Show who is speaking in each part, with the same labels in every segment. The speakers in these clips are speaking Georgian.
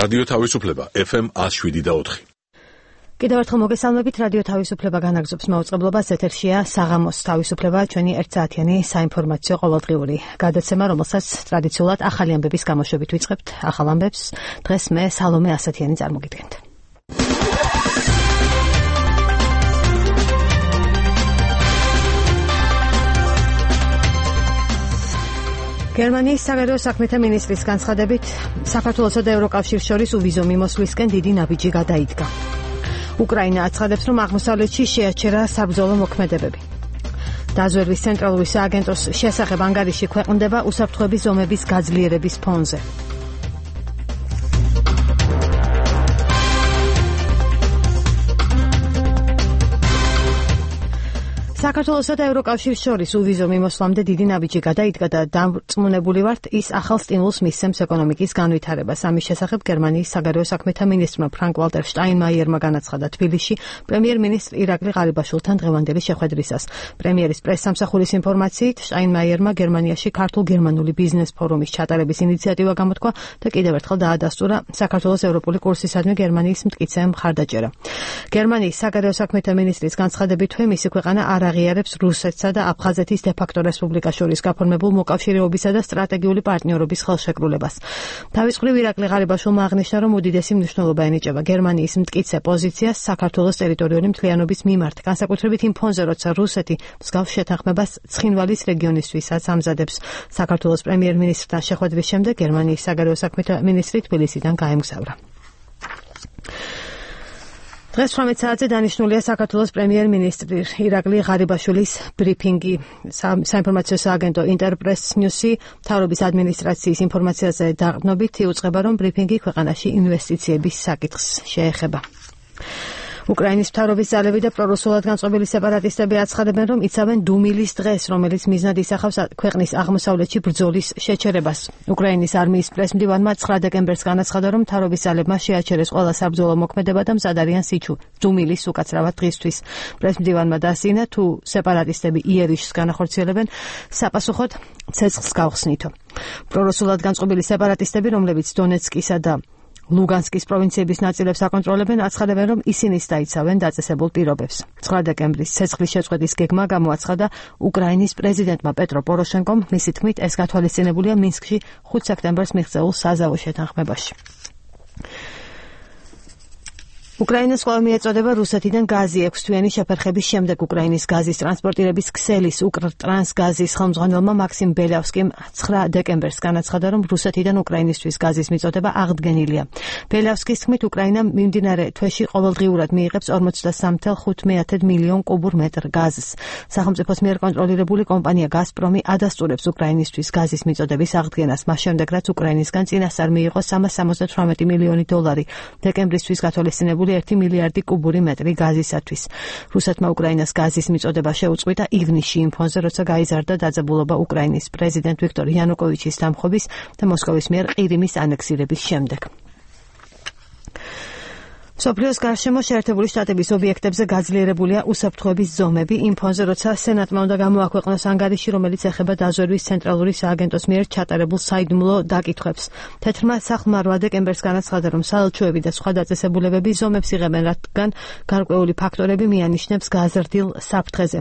Speaker 1: რადიო თავისუფლება FM 107.4.
Speaker 2: კიდევ ერთხელ მოგესალმებით, რადიო თავისუფლება განაგზობს მაუწყებლობას, ეთერშია საღამოს თავისუფლება, ჩვენი 1 საათიანი საინფორმაციო ყოველდღიური გადაცემა, რომელსაც ტრადიციულად ახალი ამბების გამოშვებით ვიწყებთ. ახალ ამბებს დღეს მე სალომე ასათიანი წარმოგიდგენთ. გერმანიის საგარეო საქმეთა მინისტრის განცხადებით, საქართველოსა და ევროკავშირს შორის უვიზო მიმოსვლისკენ დიდი ნაბიჯი გადაიდგა. უკრაინა აცხადებს, რომ აღმოსავლეთში შეაჩერა საბრძოლო მოქმედებები. დაზვერვის ცენტრალური სააგენტოს შესახებ ანგარიში ქვეყნდება უსაფრთხოების ზომების გაძლიერების ფონზე. საქართველოსა და ევროკავშირს შორის უვიზო მიმოსვლამდე დიდი ნაბიჯი გადაიდგა და დარწმუნებული ვართ, ის ახალ სტიმულს მისცემს ეკონომიკის განვითარებას. ამის შესახებ გერმანიის საგარეო საქმეთა მინისტრმა ფრანკ-ვალტერ შტაინმაიერმა განაცხადა თბილისში პრემიერ-მინისტრ ირაკლი ღარიბაშვილთან დღევანდელი შეხვედრისას. პრემიერის პრესსამსახურის ინფორმაციით, შტაინმაიერმა გერმანიაში ქართულ-გერმანული ბიზნეს ფორუმის ჩატარების ინიციატივა გამოთქვა და კიდევ ერთხელ დაადასტურა საქართველოს ევროპული კურსისადმი გერმანიის მტკიცე მხარდაჭერა. გერმანიის საგარეო საქმეთა მინისტრის განცხადებით, მისი ქვეყანა არ აღიარებს რუსეთსა და აფხაზეთის დე-ფაქტო რესპუბლიკას შორის გაფორმებულ მოკავშირეობისა და სტრატეგიული პარტნიორობის ხელშეკრულებას. თავის მხრივ ირაკლი ღარიბაშვილმა აღნიშნა, რომ უდიდესი მნიშვნელობა ენიჭება გერმანიის მტკიცე პოზიციას საქართველოს ტერიტორიული მთლიანობის მიმართ, განსაკუთრებით იმ ფონზე, როცა რუსეთი მსგავს შეთანხმებას ცხინვალის რეგიონისთვისაც ამზადებს. საქართველოს პრემიერ-მინისტრთან შეხვედრის შემდეგ გერმანიის საგარეო საქმეთა მინისტრი თბილისიდან გაემგზავრა. დღეს 18 საათზე დანიშნულია საქართველოს პრემიერ-მინისტრი ირაკლი ღარიბაშვილის ბრიფინგი. საინფორმაციო სააგენტო ინტერპრეს ნიუსი მთავრობის ადმინისტრაციის ინფორმაციაზე დაყრდნობით იუწყება, რომ ბრიფინგი ქვეყანაში ინვესტიციების საკითხს შეეხება. უკრაინის მთავრობის ძალები და პრორუსულად განწყობილი სეპარატისტები აცხადებენ, რომ იცავენ დუმილის დღეს, რომელიც მიზნად ისახავს ქვეყნის აღმოსავლეთში ბრძოლის შეჩერებას. უკრაინის არმიის პრესმდივანმა 9 დეკემბერს განაცხადა, რომ მთავრობის ძალებმა შეაჩერეს ყველა საბრძოლო მოქმედება და მზად არიან დუმილის უკაცრავად დღისთვის. პრესმდივანმა დაასწინა, თუ სეპარატისტები იერიშს განახორციელებენ, საპასუხოდ ცეცხლს გავხსნითო. პრორუსულად განწყობილი სეპარატისტები, რომლებიც დონეცკისა და ლუგანსკის პროვინციების ნაწილებს აკონტროლებენ, აცხადებენ, რომ ისინიც დაიცავენ დაწესებულ პირობებს. 9 დეკემბრის ცეცხლის შეწყვეტის გეგმა გამოაცხადა უკრაინის პრეზიდენტმა პეტრო პოროშენკომ, მისი თქმით, ეს გათვალისწინებულია მინსკში 5 სექტემბერს მიღწეულ საზავო შეთანხმებაში. უკრაინას ყველა მიეწოდება რუსეთიდან გაზი 6 თვიანი შეფერხების შემდეგ უკრაინის გაზის ტრანსპორტირების ქსელის უკრტრანსგაზის ხელმძღვანელმა მაქსიმ ბელავსკიმ 9 დეკემბერს განაცხადა, რომ რუსეთიდან უკრაინისთვის გაზის მიწოდება აღდგენილია. ბელავსკის თქმით, უკრაინა მიმდინარე თვეში ყოველდღიურად მიიღებს 43.5 მილიონ კუბურ მეტრ გაზს. სახელმწიფოს მიერ კონტროლირებული კომპანია გაზპრომი ადასტურებს უკრაინისთვის გაზის მიწოდების აღდგენას, მას შემდეგ რაც უკრაინისგან წინასწარ მიიღო 378 მილიონი დოლარი დეკემბრისთვის გათვალისწინებული 1 მილიარდი კუბური მეტრი გაზისათვის. რუსეთმა უკრაინას გაზის მიწოდება შეუწყვიტა ივნისში იმ ფონზე, როცა გაიზარდა დაძაბულობა უკრაინის პრეზიდენტ ვიქტორ იანუკოვიჩის დამხობის და მოსკოვის მიერ ყირიმის ანექსირების შემდეგ. მსოფლიოს გარშემო შეერთებული შტატების ობიექტებზე გაძლიერებულია უსაფრთხოების ზომები იმ ფონზე, როცა სენატმა უნდა გამოაქვეყნოს ანგარიში, რომელიც ეხება დაზვერვის ცენტრალური სააგენტოს მიერ ჩატარებულ საიდუმლო დაკითხვებს. თეთრმა სახლმა 8 დეკემბერს განაცხადა, რომ საელჩოები და სხვა დაწესებულებები ზომებს იღებენ, რადგან გარკვეული ფაქტორები მიანიშნებს გაზრდილ საფრთხეზე.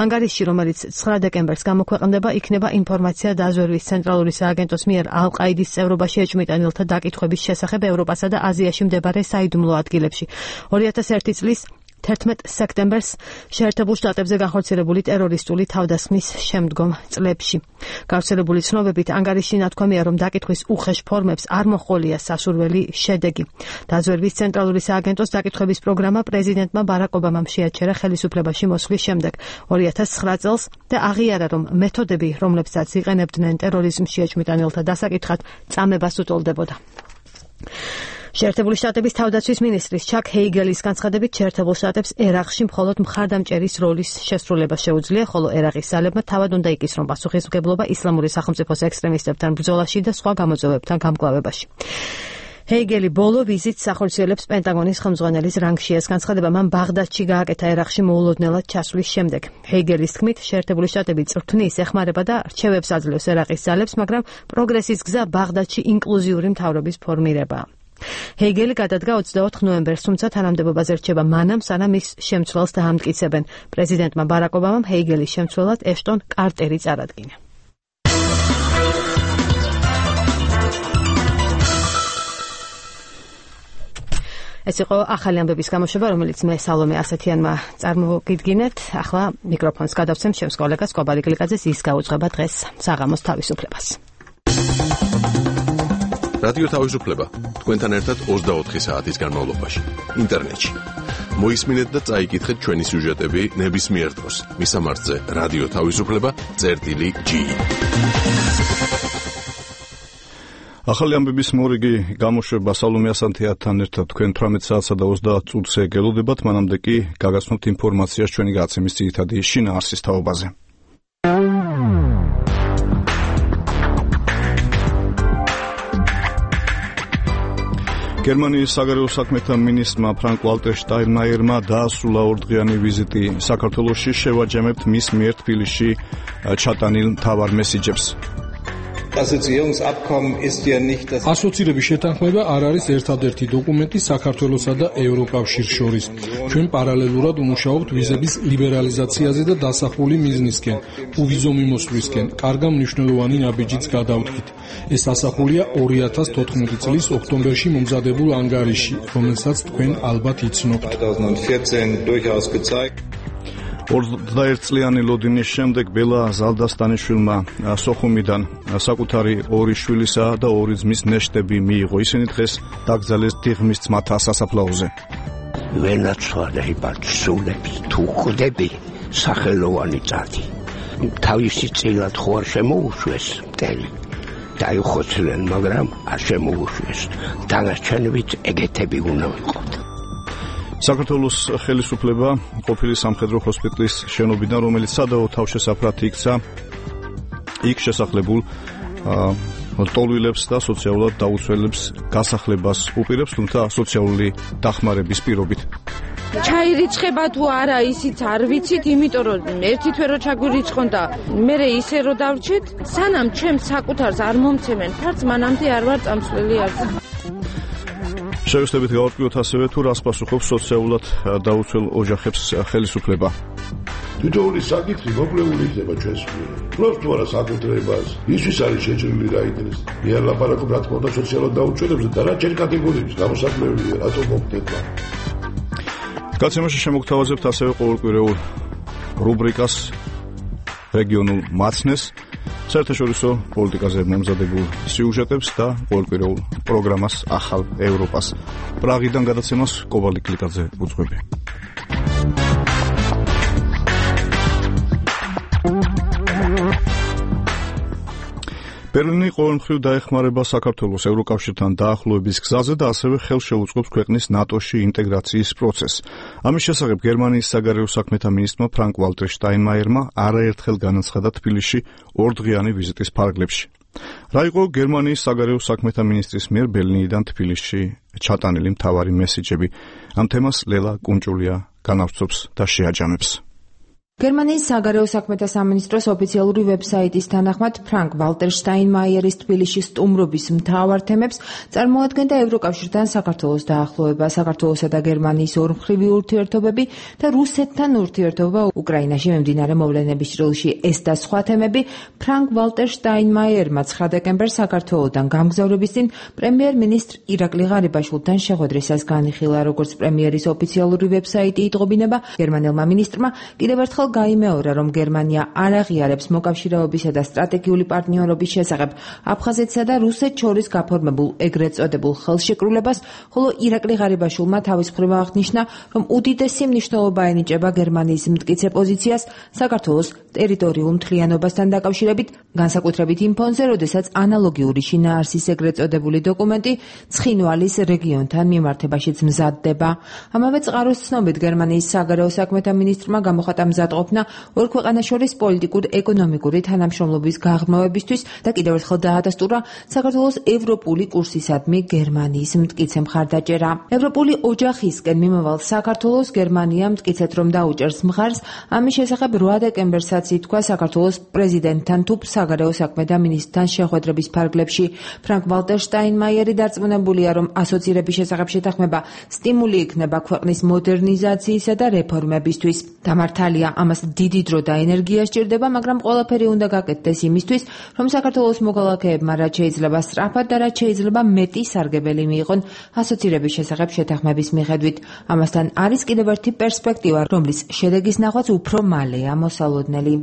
Speaker 2: ანგარიში, რომელიც 9 დეკემბერს გამოქვეყნდება, იქნება ინფორმაცია დაზვერვის ცენტრალური სააგენტოს მიერ ალ-ყაიდის წევრობაში ეჭვმიტანილთა დაკითხვების შესახებ ევროპასა და აზიაში მდებარე საიდუმლო ადგილებში. 2001 წლის 11 სექტემბერს შეერთებულ შტატებზე განხორციელებული ტერორისტული თავდასხმის შემდგომ წლებში. გავრცელებული ცნობებით ანგარიში ნათქვამია, რომ დაკითხვის უხეშ ფორმებს არ მოჰყოლია სასურველი შედეგი. დაზვერვის ცენტრალური სააგენტოს დაკითხვების პროგრამა პრეზიდენტმა ბარაკ ობამამ შეაჩერა ხელისუფლებაში მოსვლის შემდეგ 2009 წელს და აღიარა, რომ მეთოდები, რომლებსაც იყენებდნენ ტერორიზმში ეჭვმიტანილთა დასაკითხად, წამებას უტოლდებოდა. შეერთებული შტატების თავდაცვის მინისტრის ჩაკ ჰეიგელის განცხადებით, შეერთებულ შტატებს ერაყში მხოლოდ მხარდამჭერის როლის შესრულება შეუძლია, ხოლო ერაყის ძალებმა თავად უნდა იკისრონ პასუხისმგებლობა ისლამური სახელმწიფოს ექსტრემისტებთან ბრძოლაში და სხვა გამოწვევებთან გამკლავებაში. ჰეიგელი ბოლო ვიზიტს ახორციელებს პენტაგონის ხელმძღვანელის რანგში. ეს განცხადება მან ბაღდადში გააკეთა ერაყში მოულოდნელად ჩასვლის შემდეგ. ჰეიგელის თქმით, შეერთებული შტატები წვრთნის ეხმარება და რჩევებს აძლევს ერაყის ძალებს, მაგრამ პროგრესის გზა ბაღდადში ინკლუზიური მთავრობის ფორმირებაა. ჰეგელი გადადგა 24 ნოემბერს, თუმცა თანამდებობაზე რჩება მანამ, სანამ ის შემცვლელს დაამტკიცებენ. პრეზიდენტმა ბარაკ ობამამ ჰეგელის შემცვლელად ეშტონ კარტერი წარადგინა. ეს იყო ახალი ამბების გამოშვება, რომელიც მე სალომე ასეთიანმა წარმოგიდგინეთ. ახლა მიკროფონს გადავცემ ჩემს კოლეგას კობალი გლიკაძეს, ის გაუძღვება დღეს საღამოს თავისუფლებას.
Speaker 1: რადიო თავისუფლება თქვენთან ერთად 24 საათის განმავლობაში ინტერნეტში. მოისმინეთ და წაიკითხეთ ჩვენი სიუჟეტები ნებისმიერ დროს. მისამართზე რადიო თავისუფლება.gi.
Speaker 3: ახალი ამბების მორიგი გამოშვება სალომე ასათიანთან ერთად თქვენ 18 საათსა და 30 წუთზე გელოდებათ, მანამდე კი გაგაცნობთ ინფორმაციას ჩვენი გადაცემის ძირითადი შინაარსის თაობაზე. გერმანიის საგარეო საქმეთა მინისტრმა ფრანკ ვალტერ შტაინმაიერმა დაასრულა ორდღიანი ვიზიტი საქართველოში. შევაჯამებთ მის მიერ თბილისში ჩატანილ მთავარ მესიჯებს.
Speaker 4: ასოცირების შეთანხმება არ არის ერთადერთი დოკუმენტი საქართველოსა და ევროკავშირს შორის. ჩვენ პარალელურად ვმუშაობთ ვიზების ლიბერალიზაციაზე და დასახული მიზნისკენ, უვიზო მიმოსვლისკენ. კარგა მნიშვნელოვანი ნაბიჯიც გადავდგით. ეს დასახულია 2014 წლის ოქტომბერში მომზადებულ ანგარიში, რომელსაც თქვენ ალბათ იცნობთ.
Speaker 3: 21 წლიანი ლოდინის შემდეგ ბელა ზალდასტანიშვილმა სოხუმიდან საკუთარი 2 შვილისა და 2 ძმის ნეშტები მიიღო. ისინი დღეს დაკრძალეს დიღმის ძმათა სასაფლაოზე.
Speaker 5: ვენაცვალებად სულები თუ ხვდები სახელოვანი წადი. თავისი წილად ხო არ შემოუშვეს მტერი. დაიხოცნენ, მაგრამ არ შემოუშვეს. დანარჩენებიც ეგეთები უნდა ვიყოთ.
Speaker 3: საქართველოს ხელისუფლება ყოფილი სამხედრო ჰოსპიტალის შენობიდან, რომელიც სადავო თავშესაფრად იქცა, იქ შესახლებულ ლტოლვილებს და სოციალურად დაუცველებს გასახლებას უპირებს, თუმცა სოციალური დახმარების პირობით.
Speaker 6: ჩაირიცხება თუ არა, ისიც არ ვიცით, იმიტომ რომ ერთი თვე რო ჩაგვირიცხონ და მე ისე რო დავრჩეთ, სანამ ჩემს საკუთარს არ მომცემენ ფარც, მანამდე არ ვარ წამსვლელი არც.
Speaker 3: შევეცდებით გავარკვიოთ ასევე თუ რას პასუხობს სოციალურად დაუცველ ოჯახებს ხელისუფლება.
Speaker 7: თითოეული საკითხი მოკლეული იქნება ჩვენს მიერ. ფლობს თუ არა საკუთრებას, ისთვის არის შეჭრილი რა იდეას. მე არ ლაპარაკობ რა თქმა უნდა სოციალურად დაუცველებზე და რა ჩემ კატეგორიებს გამოსაკლებელია, რატო მოგდება.
Speaker 3: გაცემაში შემოგთავაზებთ ასევე ყოველკვირეულ რუბრიკას რეგიონულ მაცნეს, საერთაშორისო პოლიტიკაზე მომზადებულ სიუჟეტებს და ყოველკვირეულ პროგრამას ახალ ევროპას. პრაღიდან გადაცემას კობალი გლიკაძე უძღვები. ბერლინი ყოველმხრივ დაეხმარება საქართველოს ევროკავშირთან დაახლოების გზაზე და ასევე ხელს შეუწყობს ქვეყნის ნატოში ინტეგრაციის პროცესს. ამის შესახებ გერმანიის საგარეო საქმეთა მინისტრმა ფრანკ ვალტერ შტაინმაიერმა არაერთხელ განაცხადა თბილისში ორდღიანი ვიზიტის ფარგლებში. რა იყო გერმანიის საგარეო საქმეთა მინისტრის მიერ ბერლინიდან თბილისში ჩატანილი მთავარი მესიჯები? ამ თემას ლელა კუნჭულია განავრცობს და შეაჯამებს.
Speaker 8: გერმანიის საგარეო საქმეთა სამინისტროს ოფიციალური ვებსაიტის თანახმად ფრანკ ვალტერ შტაინმაიერის თბილისში სტუმრობის მთავარ თემებს წარმოადგენდა ევროკავშირთან საქართველოს დაახლოება, საქართველოსა და გერმანიის ორმხრივი ურთიერთობები და რუსეთთან ურთიერთობა უკრაინაში მიმდინარე მოვლენების ჭრილში. ეს და სხვა თემები ფრანკ ვალტერ შტაინმაიერმა 9 დეკემბერს საქართველოსთან გამგზავრების წინ პრემიერ-მინისტრ ირაკლი ღარიბაშვილთან შეხვედრისას განიხილა. როგორც პრემიერის ოფიციალური ვებსაიტი იტყობინება, გერმანელმა მინისტრმა კიდევ ერთხელ გაიმეორა, რომ გერმანია არ აღიარებს მოკავშირეობისა და სტრატეგიული პარტნიორობის შესახებ აფხაზეთსა და რუსეთს შორის გაფორმებულ ეგრეთ წოდებულ ხელშეკრულებას, ხოლო ირაკლი ღარიბაშვილმა თავის მხრივ აღნიშნა, რომ უდიდესი მნიშვნელობა ენიჭება გერმანიის მტკიცე პოზიციას საქართველოს ტერიტორიულ მთლიანობასთან დაკავშირებით, განსაკუთრებით იმ ფონზე, როდესაც ანალოგიური შინაარსის ეგრეთ წოდებული დოკუმენტი ცხინვალის რეგიონთან მიმართებაშიც მზადდება. ამავე წყაროს ცნობით გერმანიის საგარეო საქმეთა მინისტრმა გამოხატა მზად უზრუნველყოფნა ორ ქვეყანას შორის პოლიტიკურ-ეკონომიკური თანამშრომლობის გაღრმავებისთვის და კიდევ ერთხელ დაადასტურა საქართველოს ევროპული კურსისადმი გერმანიის მტკიცე მხარდაჭერა. ევროპული ოჯახისკენ მიმავალ საქართველოს გერმანია მტკიცეთ რომ დაუჭერს მხარს, ამის შესახებ 8 დეკემბერსაც ითქვა საქართველოს პრეზიდენტთან თუ საგარეო საქმეთა მინისტრთან შეხვედრების ფარგლებში. ფრანკ ვალტერ შტაინმაიერი დარწმუნებულია, რომ ასოცირების შესახებ შეთანხმება სტიმული იქნება ქვეყნის მოდერნიზაციისა და რეფორმებისთვის. დამართალია, ამას დიდი დრო და ენერგია სჭირდება, მაგრამ ყველაფერი უნდა გაკეთდეს იმისთვის, რომ საქართველოს მოქალაქეებმა რაც შეიძლება სწრაფად და რაც შეიძლება მეტი სარგებელი მიიღონ ასოცირების შესახებ შეთანხმების მიხედვით. ამასთან არის კიდევ ერთი პერსპექტივა, რომლის შედეგის ნახვაც უფრო მალეა მოსალოდნელი.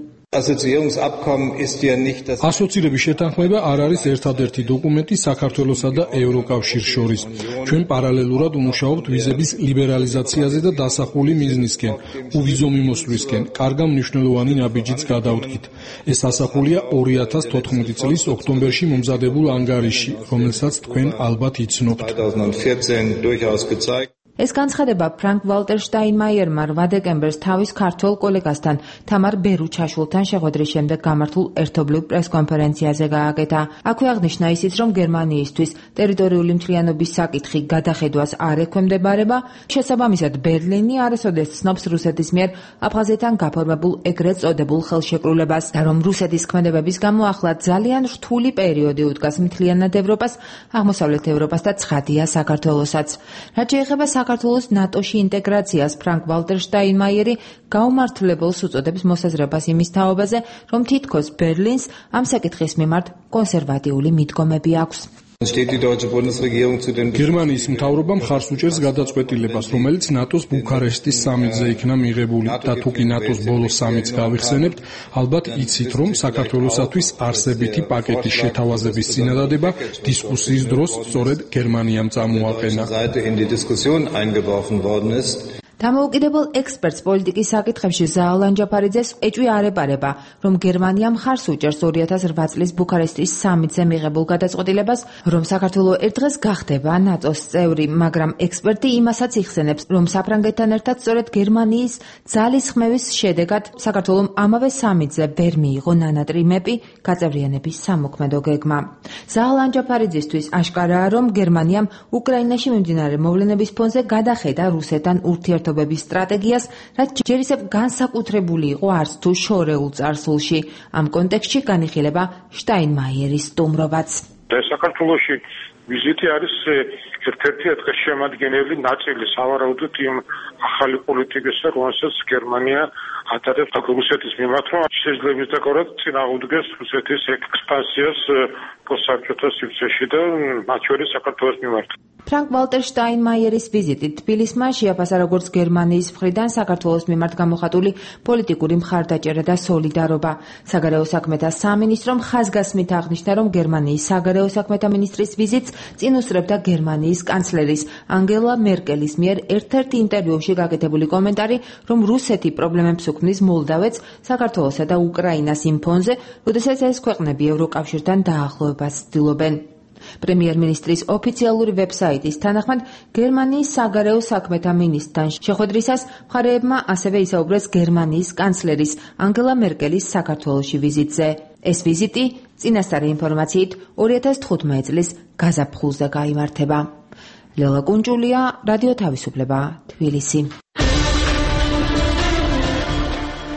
Speaker 4: ასოცირების შეთანხმება არ არის ერთადერთი დოკუმენტი საქართველოსა და ევროკავშირს შორის. ჩვენ პარალელურად ვმუშაობთ ვიზების ლიბერალიზაციაზე და დასახული მიზნისკენ, უვიზო მიმოსვლისკენ. კარგა მნიშვნელოვანი ნაბიჯიც გადავდგით. ეს ასახულია 2014 წლის ოქტომბერში მომზადებულ ანგარიშში, რომელსაც თქვენ ალბათ იცნობთ.
Speaker 8: ეს განცხადება ფრანკ ვალტერ შტაინმაიერმა 8 დეკემბერს თავის ქართველ კოლეგასთან თამარ ბერუჩაშვილთან შეხვედრის შემდეგ გამართულ ერთობლივ პრესკონფერენციაზე გააკეთა. აქვე აღნიშნა ისიც, რომ გერმანიისთვის ტერიტორიული მთლიანობის საკითხი გადახედვას არ ექვემდებარება, შესაბამისად ბერლინი არასოდეს ცნობს რუსეთის მიერ აფხაზეთთან გაფორმებულ ეგრეთ წოდებულ ხელშეკრულებას და რომ რუსეთის ქმედებების გამო ახლა ძალიან რთული პერიოდი უდგას მთლიანად ევროპას, აღმოსავლეთ ევროპას და ცხადია საქართველოსაც. რაც შეეხება საქართველოს ნატოში ინტეგრაციას, ფრანკ ვალტერ შტაინმაიერი გაუმართლებელს უწოდებს მოსაზრებას იმის თაობაზე, რომ თითქოს ბერლინს ამ საკითხის მიმართ კონსერვატიული მიდგომები აქვს.
Speaker 4: გერმანიის მთავრობა მხარს უჭერს გადაწყვეტილებას, რომელიც ნატოს ბუქარესტის სამიტზე იქნა მიღებული და თუკი ნატოს ბოლო სამიტს გავიხსენებთ, ალბათ იცით, რომ საქართველოსათვის არსებითი პაკეტის შეთავაზების წინადადება დისკუსიის დროს სწორედ გერმანიამ წამოაყენა.
Speaker 8: დამოუკიდებელ ექსპერტს პოლიტიკის საკითხებში ზაალან ჯაფარიძეს ეჭვი არ ეპარება, რომ გერმანია მხარს უჭერს 2008 წლის ბუქარესტის სამიტზე მიღებულ გადაწყვეტილებას, რომ საქართველო ერთ დღეს გახდება ნატოს წევრი, მაგრამ ექსპერტი იმასაც იხსენებს, რომ საფრანგეთთან ერთად სწორედ გერმანიის ძალისხმევის შედეგად საქართველომ ამავე სამიტზე ვერ მიიღო ნანატრიმები გაწევრიანების სამოქმედო გეგმა. ზაალან ჯაფარიძისთვის აშკარაა, რომ გერმანიამ უკრაინაში მიმდინარე მოვლენების ფონზე გადახედა რუსეთთან ურთიერთობების სტრატეგიას, რაც ჯერ ისევ განსაკუთრებული იყო არც თუ შორეულ წარსულში. ამ კონტექსტში განიხილება შტაინმაიერის სტუმრობაც.
Speaker 9: საქართველოში ვიზიტი არის ერთ-ერთი დღესშემადგენელი ნაწილი სავარაუდოდ იმ ახალი პოლიტიკისა, რომელსაც გერმანია ატარებს რუსეთის მიმართ, რომ შესაძლებლობის დაკავად წინააღმდეგეს რუსეთის ექსპანსიას პოსტსაბჭოთა სივრცეში და მათ შორის საქართველოს მიმართ.
Speaker 8: ფრანკ ვალტერ შტაინმაიერის ვიზიტი თბილისმა შეაფასა როგორც გერმანიის მხრიდან საქართველოს მიმართ გამოხატული პოლიტიკური მხარდაჭერა და სოლიდარობა. საგარეო საქმეთა სამინისტრომ ხაზგასმით აღნიშნა, რომ გერმანიის საგარეო საქმეთა მინისტრის ვიზიტს წინ უსწრებდა გერმანიის კანცლერის ანგელა მერკელის მიერ ერთ-ერთ ინტერვიუში გაკეთებული კომენტარი, რომ რუსეთი პრობლემებს უქმნის მოლდავეთს, საქართველოსა და უკრაინას იმ ფონზე, როდესაც ეს ქვეყნები ევროკავშირთან დაახლოებას ცდილობენ. პრემიერ-მინისტრის ოფიციალური ვებსაიტის თანახმად, გერმანიის საგარეო საქმეთა მინისტრთან შეხვედრისას მხარეებმა ასევე ისაუბრეს გერმანიის კანცლერის ანგელა მერკელის საქართველოში ვიზიტზე. ეს ვიზიტი, წინასწარი ინფორმაციით, 2015 წლის გაზაფხულზე გაიმართება. ლელა კუნჭულია, რადიო თავისუფლება, თბილისი.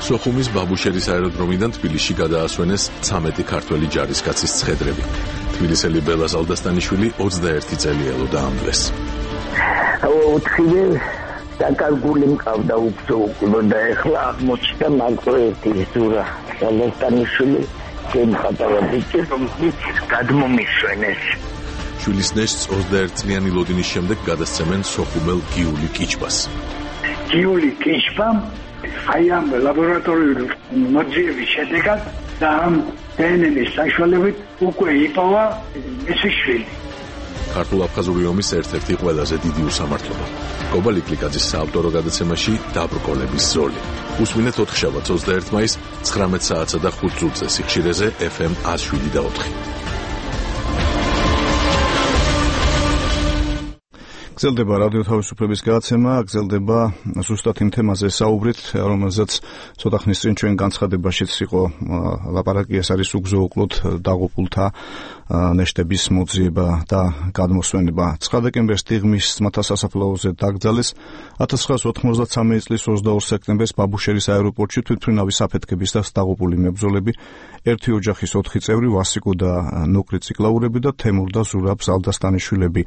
Speaker 1: სოხუმის ბაბუშერის აეროდრომიდან თბილისში გადაასვენეს 13 ქართველი ჯარისკაცის ცხედრები. თბილისელი ბელა ზალდასტანიშვილი 21 წელი ელოდა ამბლეს.
Speaker 10: ოთხივე დაკარგული მყავდა უგზო და ეხლა აღმოჩნდა მარტო ერთი ზურა. ზალდასტანიშვილი გემხატავა ბიჭი, რომელიც გადმომისვენეს.
Speaker 1: შვილის ნეშტს 21 წლიანი ლოდინის შემდეგ გადასცემენ სოხუმელ გიული კიჩბას.
Speaker 11: გიული კიჩბამ აი ამ ლაბორატორიული მოძიების შედეგად და ამ დნმ-ის საშუალებით უკვე იპოვა მისი შვილი.
Speaker 1: ქართულ-აფხაზური ომის ერთ-ერთი ყველაზე დიდი უსამართლობა. კობალ იკლიკაძის საავტორო გადაცემაში დაბრკოლების ზოლი. უსმინეთ 4 შაბათს 21 მაისს 19 საათსა და 5 წუთზე სიხშირეზე FM 107.4.
Speaker 3: გრძელდება რადიო თავისუფლების გადაცემა, გრძელდება ზუსტად იმ თემაზე საუბრით, რომელზეც ცოტა ხნის წინ ჩვენ განცხადებაშიც იყო ლაპარაკი, ეს არის უგზო-უკლოდ დაღუპულთა ნეშტების მოძიება და გადმოსვენება. 9 დეკემბერს დიღმის ძმათა სასაფლაოზე დაკრძალეს 1993 წლის 22 სექტემბერს ბაბუშერის აეროპორტში თვითმფრინავის აფეთქების და დაღუპული მებრძოლები, ერთი ოჯახის 4 წევრი, ვასიკო და ნუკრი ციკლაურები და თემურ და ზურაბ ზალდასტანიშვილები.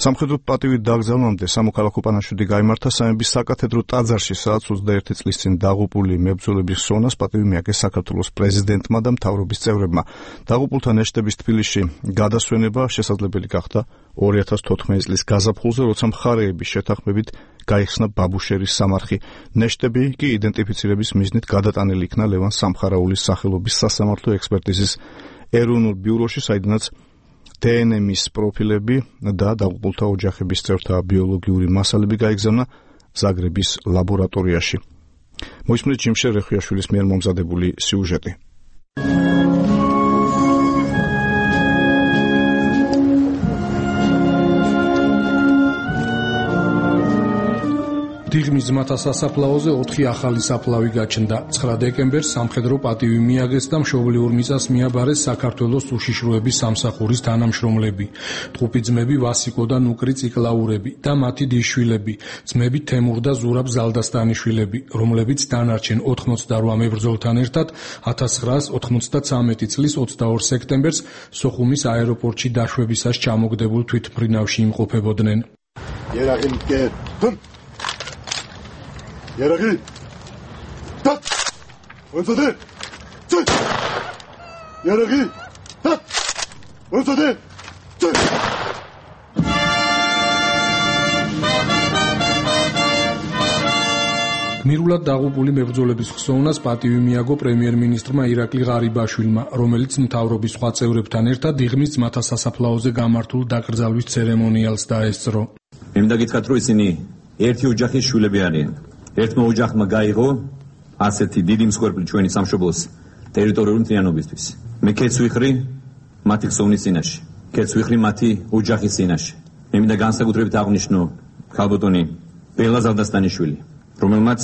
Speaker 3: სამხედრო პატივით დაკრძალვამდე სამოქალაქო პანაშვიდი გაიმართა სამების საკათედრო ტაძარში, სადაც 21 წლის წინ დაღუპული მებრძოლების ხსოვნას პატივი მიაგეს საქართველოს პრეზიდენტმა და მთავრობის წევრებმა. დაღუპულთა ნეშტების თბილისში გადასვენება შესაძლებელი გახდა 2014 წლის გაზაფხულზე, როცა მხარეების შეთანხმებით გაიხსნა ბაბუშერის სამარხი. ნეშტები კი იდენტიფიცირების მიზნით გადატანილი იქნა ლევან სამხარაულის სახელობის სასამართლო ექსპერტიზის ეროვნულ ბიუროში, საიდანაც დნმ-ის პროფილები და დაღუპულთა ოჯახების წევრთა ბიოლოგიური მასალები გაიგზავნა ზაგრების ლაბორატორიაში. მოისმინეთ ჯიმშე რეხუიაშვილის მიერ მომზადებული სიუჟეტი.
Speaker 4: დიღმის ძმათა სასაფლაოზე 4 ახალი საფლავი გაჩნდა. 9 დეკემბერს სამხედრო პატივი მიაგეს და მშობლიურ მიწას მიაბარეს საქართველოს უშიშროების სამსახურის თანამშრომლები, ტყუპი ძმები ვასიკო და ნუკრი ციკლაურები და მათი დიშვილები, ძმები თემურ და ზურაბ ზალდასტანიშვილები, რომლებიც დანარჩენ 88 მებრძოლთან ერთად 1993 წლის 22 სექტემბერს სოხუმის აეროპორტში დაშვებისას ჩამოგდებულ თვითმფრინავში იმყოფებოდნენ.
Speaker 12: Yaraghi! Tat! Unzade! Tat! Yaraghi! Tat! Unzade! Tat!
Speaker 4: გმირულად დაღუპული მებრძოლების ხსოვნას პატივი მიაგო პრემიერ-მინისტრმა ირაკლი ღარიბაშვილმა, რომელიც მთავრობის სხვა წევრებთან ერთად დიღმის ძმათა სასაფლაოზე გამართულ დაკრძალვის ცერემონიალს დაესწრო.
Speaker 13: მე მინდა გითხრათ, რომ ისინი ერთი ოჯახის შვილები არიან. ერთმა ოჯახმა გაიღო ასეთი დიდი მსხვერპლი ჩვენი სამშობლოს ტერიტორიული მთლიანობისთვის. მე კეთს ვიხრი მათი ხსოვნის წინაშე, კეთს ვიხრი მათი ოჯახის წინაშე. მე მინდა განსაკუთრებით აღვნიშნო ქალბატონი ბელა ზალდასტანიშვილი, რომელმაც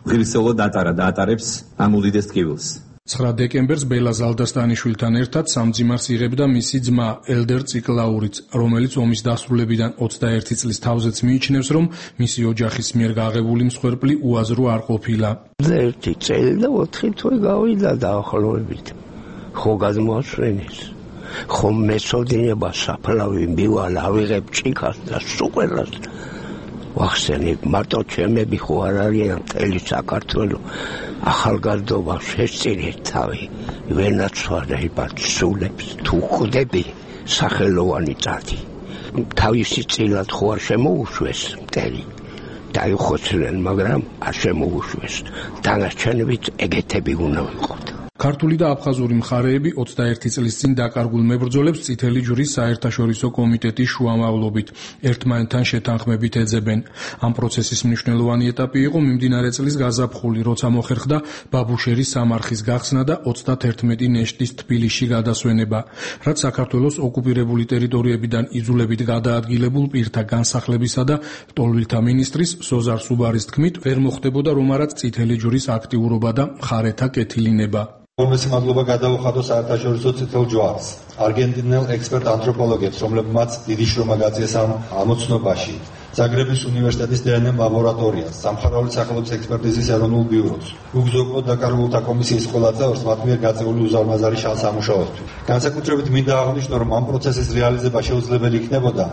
Speaker 13: ღირსეულად ატარა და ატარებს ამ უდიდეს ტკივილს.
Speaker 4: 9 დეკემბერს ბელა ზალდასტანიშვილთან ერთად სამძიმარს იღებდა მისი ძმა ელდერ ციკლაურიც, რომელიც ომის დასრულებიდან 21 წლის თავზეც მიიჩნევს, რომ მისი ოჯახის მიერ გაღებული მსხვერპლი უაზრო არ ყოფილა.
Speaker 5: 1 წელი და 4 თვე გავიდა დაახლოებით. ხო გადმოასვენეს. ხო მესოდინება საფლავი მიბვალ ავიღებ ჭიქას და სუყელას. ვახსენებ, მარტო ჩემები ხო არ არიან მთელი საქართველო. ახალგაზრდობა შესწირეთ თავი, ვენაცვალებად სულებს თუ ხვდები სახელოვანი წადი. თავისი წილად ხო არ შემოუშვეს მტერი. დაიხოცნენ, მაგრამ არ შემოუშვეს. დანარჩენებიც ეგეთები უნდა ვიყოთ.
Speaker 4: ქართული და აფხაზური მხარეები 21 წლის წინ დაკარგულ მებრძოლებს წითელი ჯვრის საერთაშორისო კომიტეტის შუამავლობით ერთმანეთთან შეთანხმებით ეძებენ. ამ პროცესის მნიშვნელოვანი ეტაპი იყო მიმდინარე წლის გაზაფხული, როცა მოხერხდა ბაბუშერის სამარხის გახსნა და 31 ნეშტის თბილისში გადასვენება, რაც საქართველოს ოკუპირებული ტერიტორიებიდან იძულებით გადაადგილებულ პირთა განსახლებისა და ლტოლვილთა მინისტრის სოზარ სუბარის თქმით, ვერ მოხდებოდა რომ არაც წითელი ჯვრის აქტიურობა და მხარეთა კეთილინება.
Speaker 14: Ორმესი მადლობა გადავუხადო საერთაშორისო წითელ ჯვარს, არგენტინელ ექსპერტ ანთროპოლოგებს, რომლებმაც დიდი შრომა გაძიეს ამ ამოცნობაში, ზაგრების უნივერსიტეტის დნმ ლაბორატორიას, სამხარაულის სახელობის ექსპერტიზის ეროვნულ ბიუროს, უგზო-უკლოდ დაკარგულთა კომისიის ყველა წევრს მათ მიერ გაწეული უზარმაზარი სამუშაოსთვის. განსაკუთრებით მინდა აღვნიშნო, რომ ამ პროცესის რეალიზება შეუძლებელი იქნებოდა,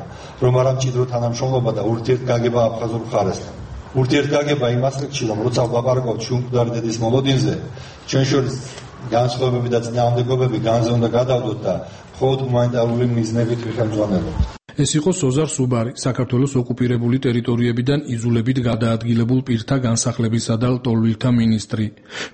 Speaker 14: რომ არა მჭიდრო თანამშრომლობა და ურთიერთგაგება აფხაზურ მხარესთან. ურთიერთგაგება იმას რიგში, რომ როცა ვლაპარაკობთ შუამკვდარი დედის მოლოდინზე, ჩვენ შორის განსხვავებები და წინააღმდეგობები განზე უნდა გადავდოთ და მხოლოდ ჰუმანიტარული მიზნებით ვიხელმძღვანელობთ. ეს იყო სოზარ სუბარი, საქართველოს ოკუპირებული ტერიტორიებიდან იძულებით გადაადგილებულ პირთა განსახლებისა და ლტოლვილთა მინისტრი.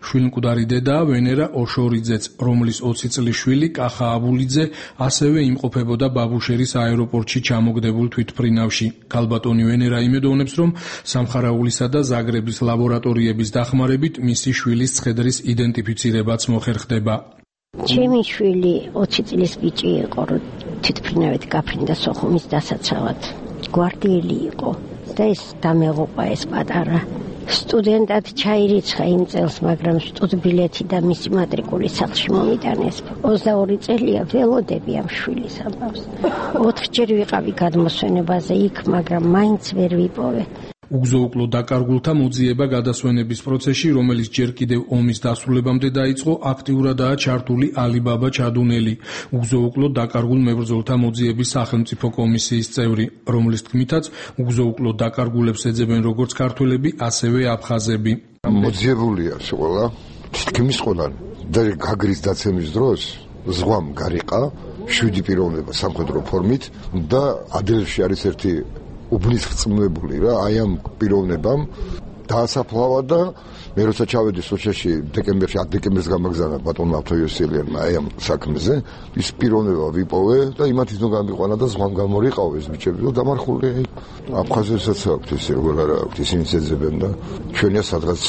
Speaker 14: შვილმკვდარი დედა ვენერა ოშორიძეც, რომლის 20 წლის შვილი კახა აბულიძე ასევე იმყოფებოდა ბაბუშერის აეროპორტში ჩამოგდებულ თვითმფრინავში. ქალბატონი ვენერა იმედოვნებს, რომ სამხარაულისა და ზაგრების ლაბორატორიების დახმარებით მისი შვილის ცხედრის იდენტიფიცირებაც მოხერხდება.
Speaker 15: ჩემი შვილი 20 წლის ბიჭი იყო, რომ თვითმფრინავით გაფრინდა სოხუმის დასაცავად. გვარდიელი იყო და ეს დამეღუყა ეს პატარა სტუდენტად ჩაირიცხა იმ წელს, მაგრამ სტუდბილეთი და მისი მატრიკული სახლში მომიტანეს. 22 წელია ველოდები ამ შვილის ამბავს. 4 ჯერ ვიყავი გადმოსვენებაზე იქ, მაგრამ მაინც ვერ ვიპოვე.
Speaker 4: უგზოუკლო დაკარგულთა მოძიება გადასვენების პროცესში, რომელიც ჯერ კიდევ ომის დასრულებამდე დაიწყო, აქტიურადაა ჩართული ალიბაბა ჩადუნელი, უგზოუკლო დაკარგულ მებრძოლთა მოძიების სახელმწიფო კომისიის წევრი, რომლის თქმითაც უგზოუკლო დაკარგულებს ეძებენ როგორც ქართველები, ასევე აფხაზები.
Speaker 16: მოძიებულია ყველა, თითქმის ყველანი და გაგრის დაცემის დროს ზღვამ გარიყა 7 პიროვნება სამხედრო ფორმით და ადრეში არის ერთი უბნის რწმუნებული რა, აი ამ პიროვნებამ დაასაფლავა და მე როცა ჩავედი სოჭაში დეკემბერში 10 დეკემბერს გამაგზავნა ბატონმა ავთოიოსელიანმა აი ამ საქმეზე, ის პიროვნება ვიპოვე და იმათ ისო გამიყვანა და ზღვამ გამორიყავ ეს ბიჭები და დამარხული აფხაზებსაც აქვს ეს როგორ არა აქვს, ისინი შეძებენ და ჩვენია სადღაც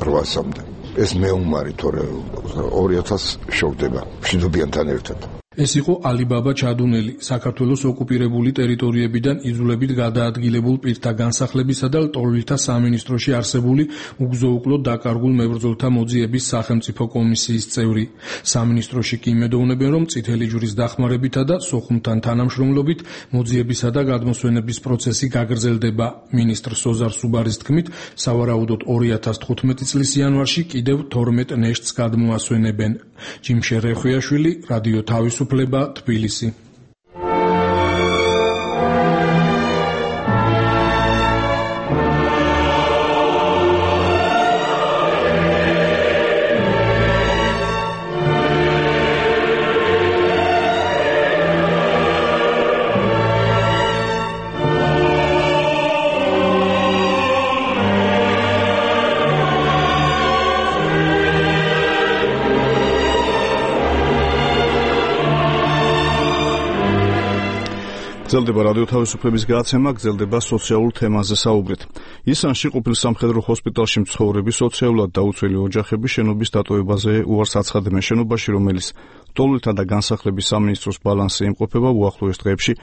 Speaker 16: 800-მდე. ეს მეუმარი თორე 2000 შევდება მშვიდობიანთან ერთად.
Speaker 4: ეს იყო ალიბაბა ჩადუნელი, საქართველოს ოკუპირებული ტერიტორიებიდან იძულებით გადაადგილებულ პირთა განსახლებისა და ლტოლვილთა სამინისტროში არსებული უგზოუკლო დაკარგულ მებრძოლთა მოძიების სახელმწიფო კომისიის წევრი. სამინისტროში კი იმედოვნებენ, რომ წითელი ჯვრის დახმარებითა და სოხუმთან თანამშრომლობით მოძიებისა და გადმოსვენების პროცესი გაგრძელდება. მინისტრ სოზარ სუბარის თქმით, სავარაუდოდ 2015 წლის იანვარში კიდევ 12 ნეშტს გადმოასვენებენ. ჯიმშე რეხვიაშვილი, რადიო თავისუფლება, თბილისი.
Speaker 3: გრძელდება რადიო თავისუფლების გადაცემა, გრძელდება სოციალურ თემაზე საუბრით. ისანში ყოფილ სამხედრო ჰოსპიტალში მცხოვრები სოციალურად დაუცველი ოჯახები შენობის დატოვებაზე უარს აცხადებენ. შენობაში, რომელიც ლტოლვილთა და განსახლების სამინისტროს ბალანსზე იმყოფება, უახლოეს დღეებში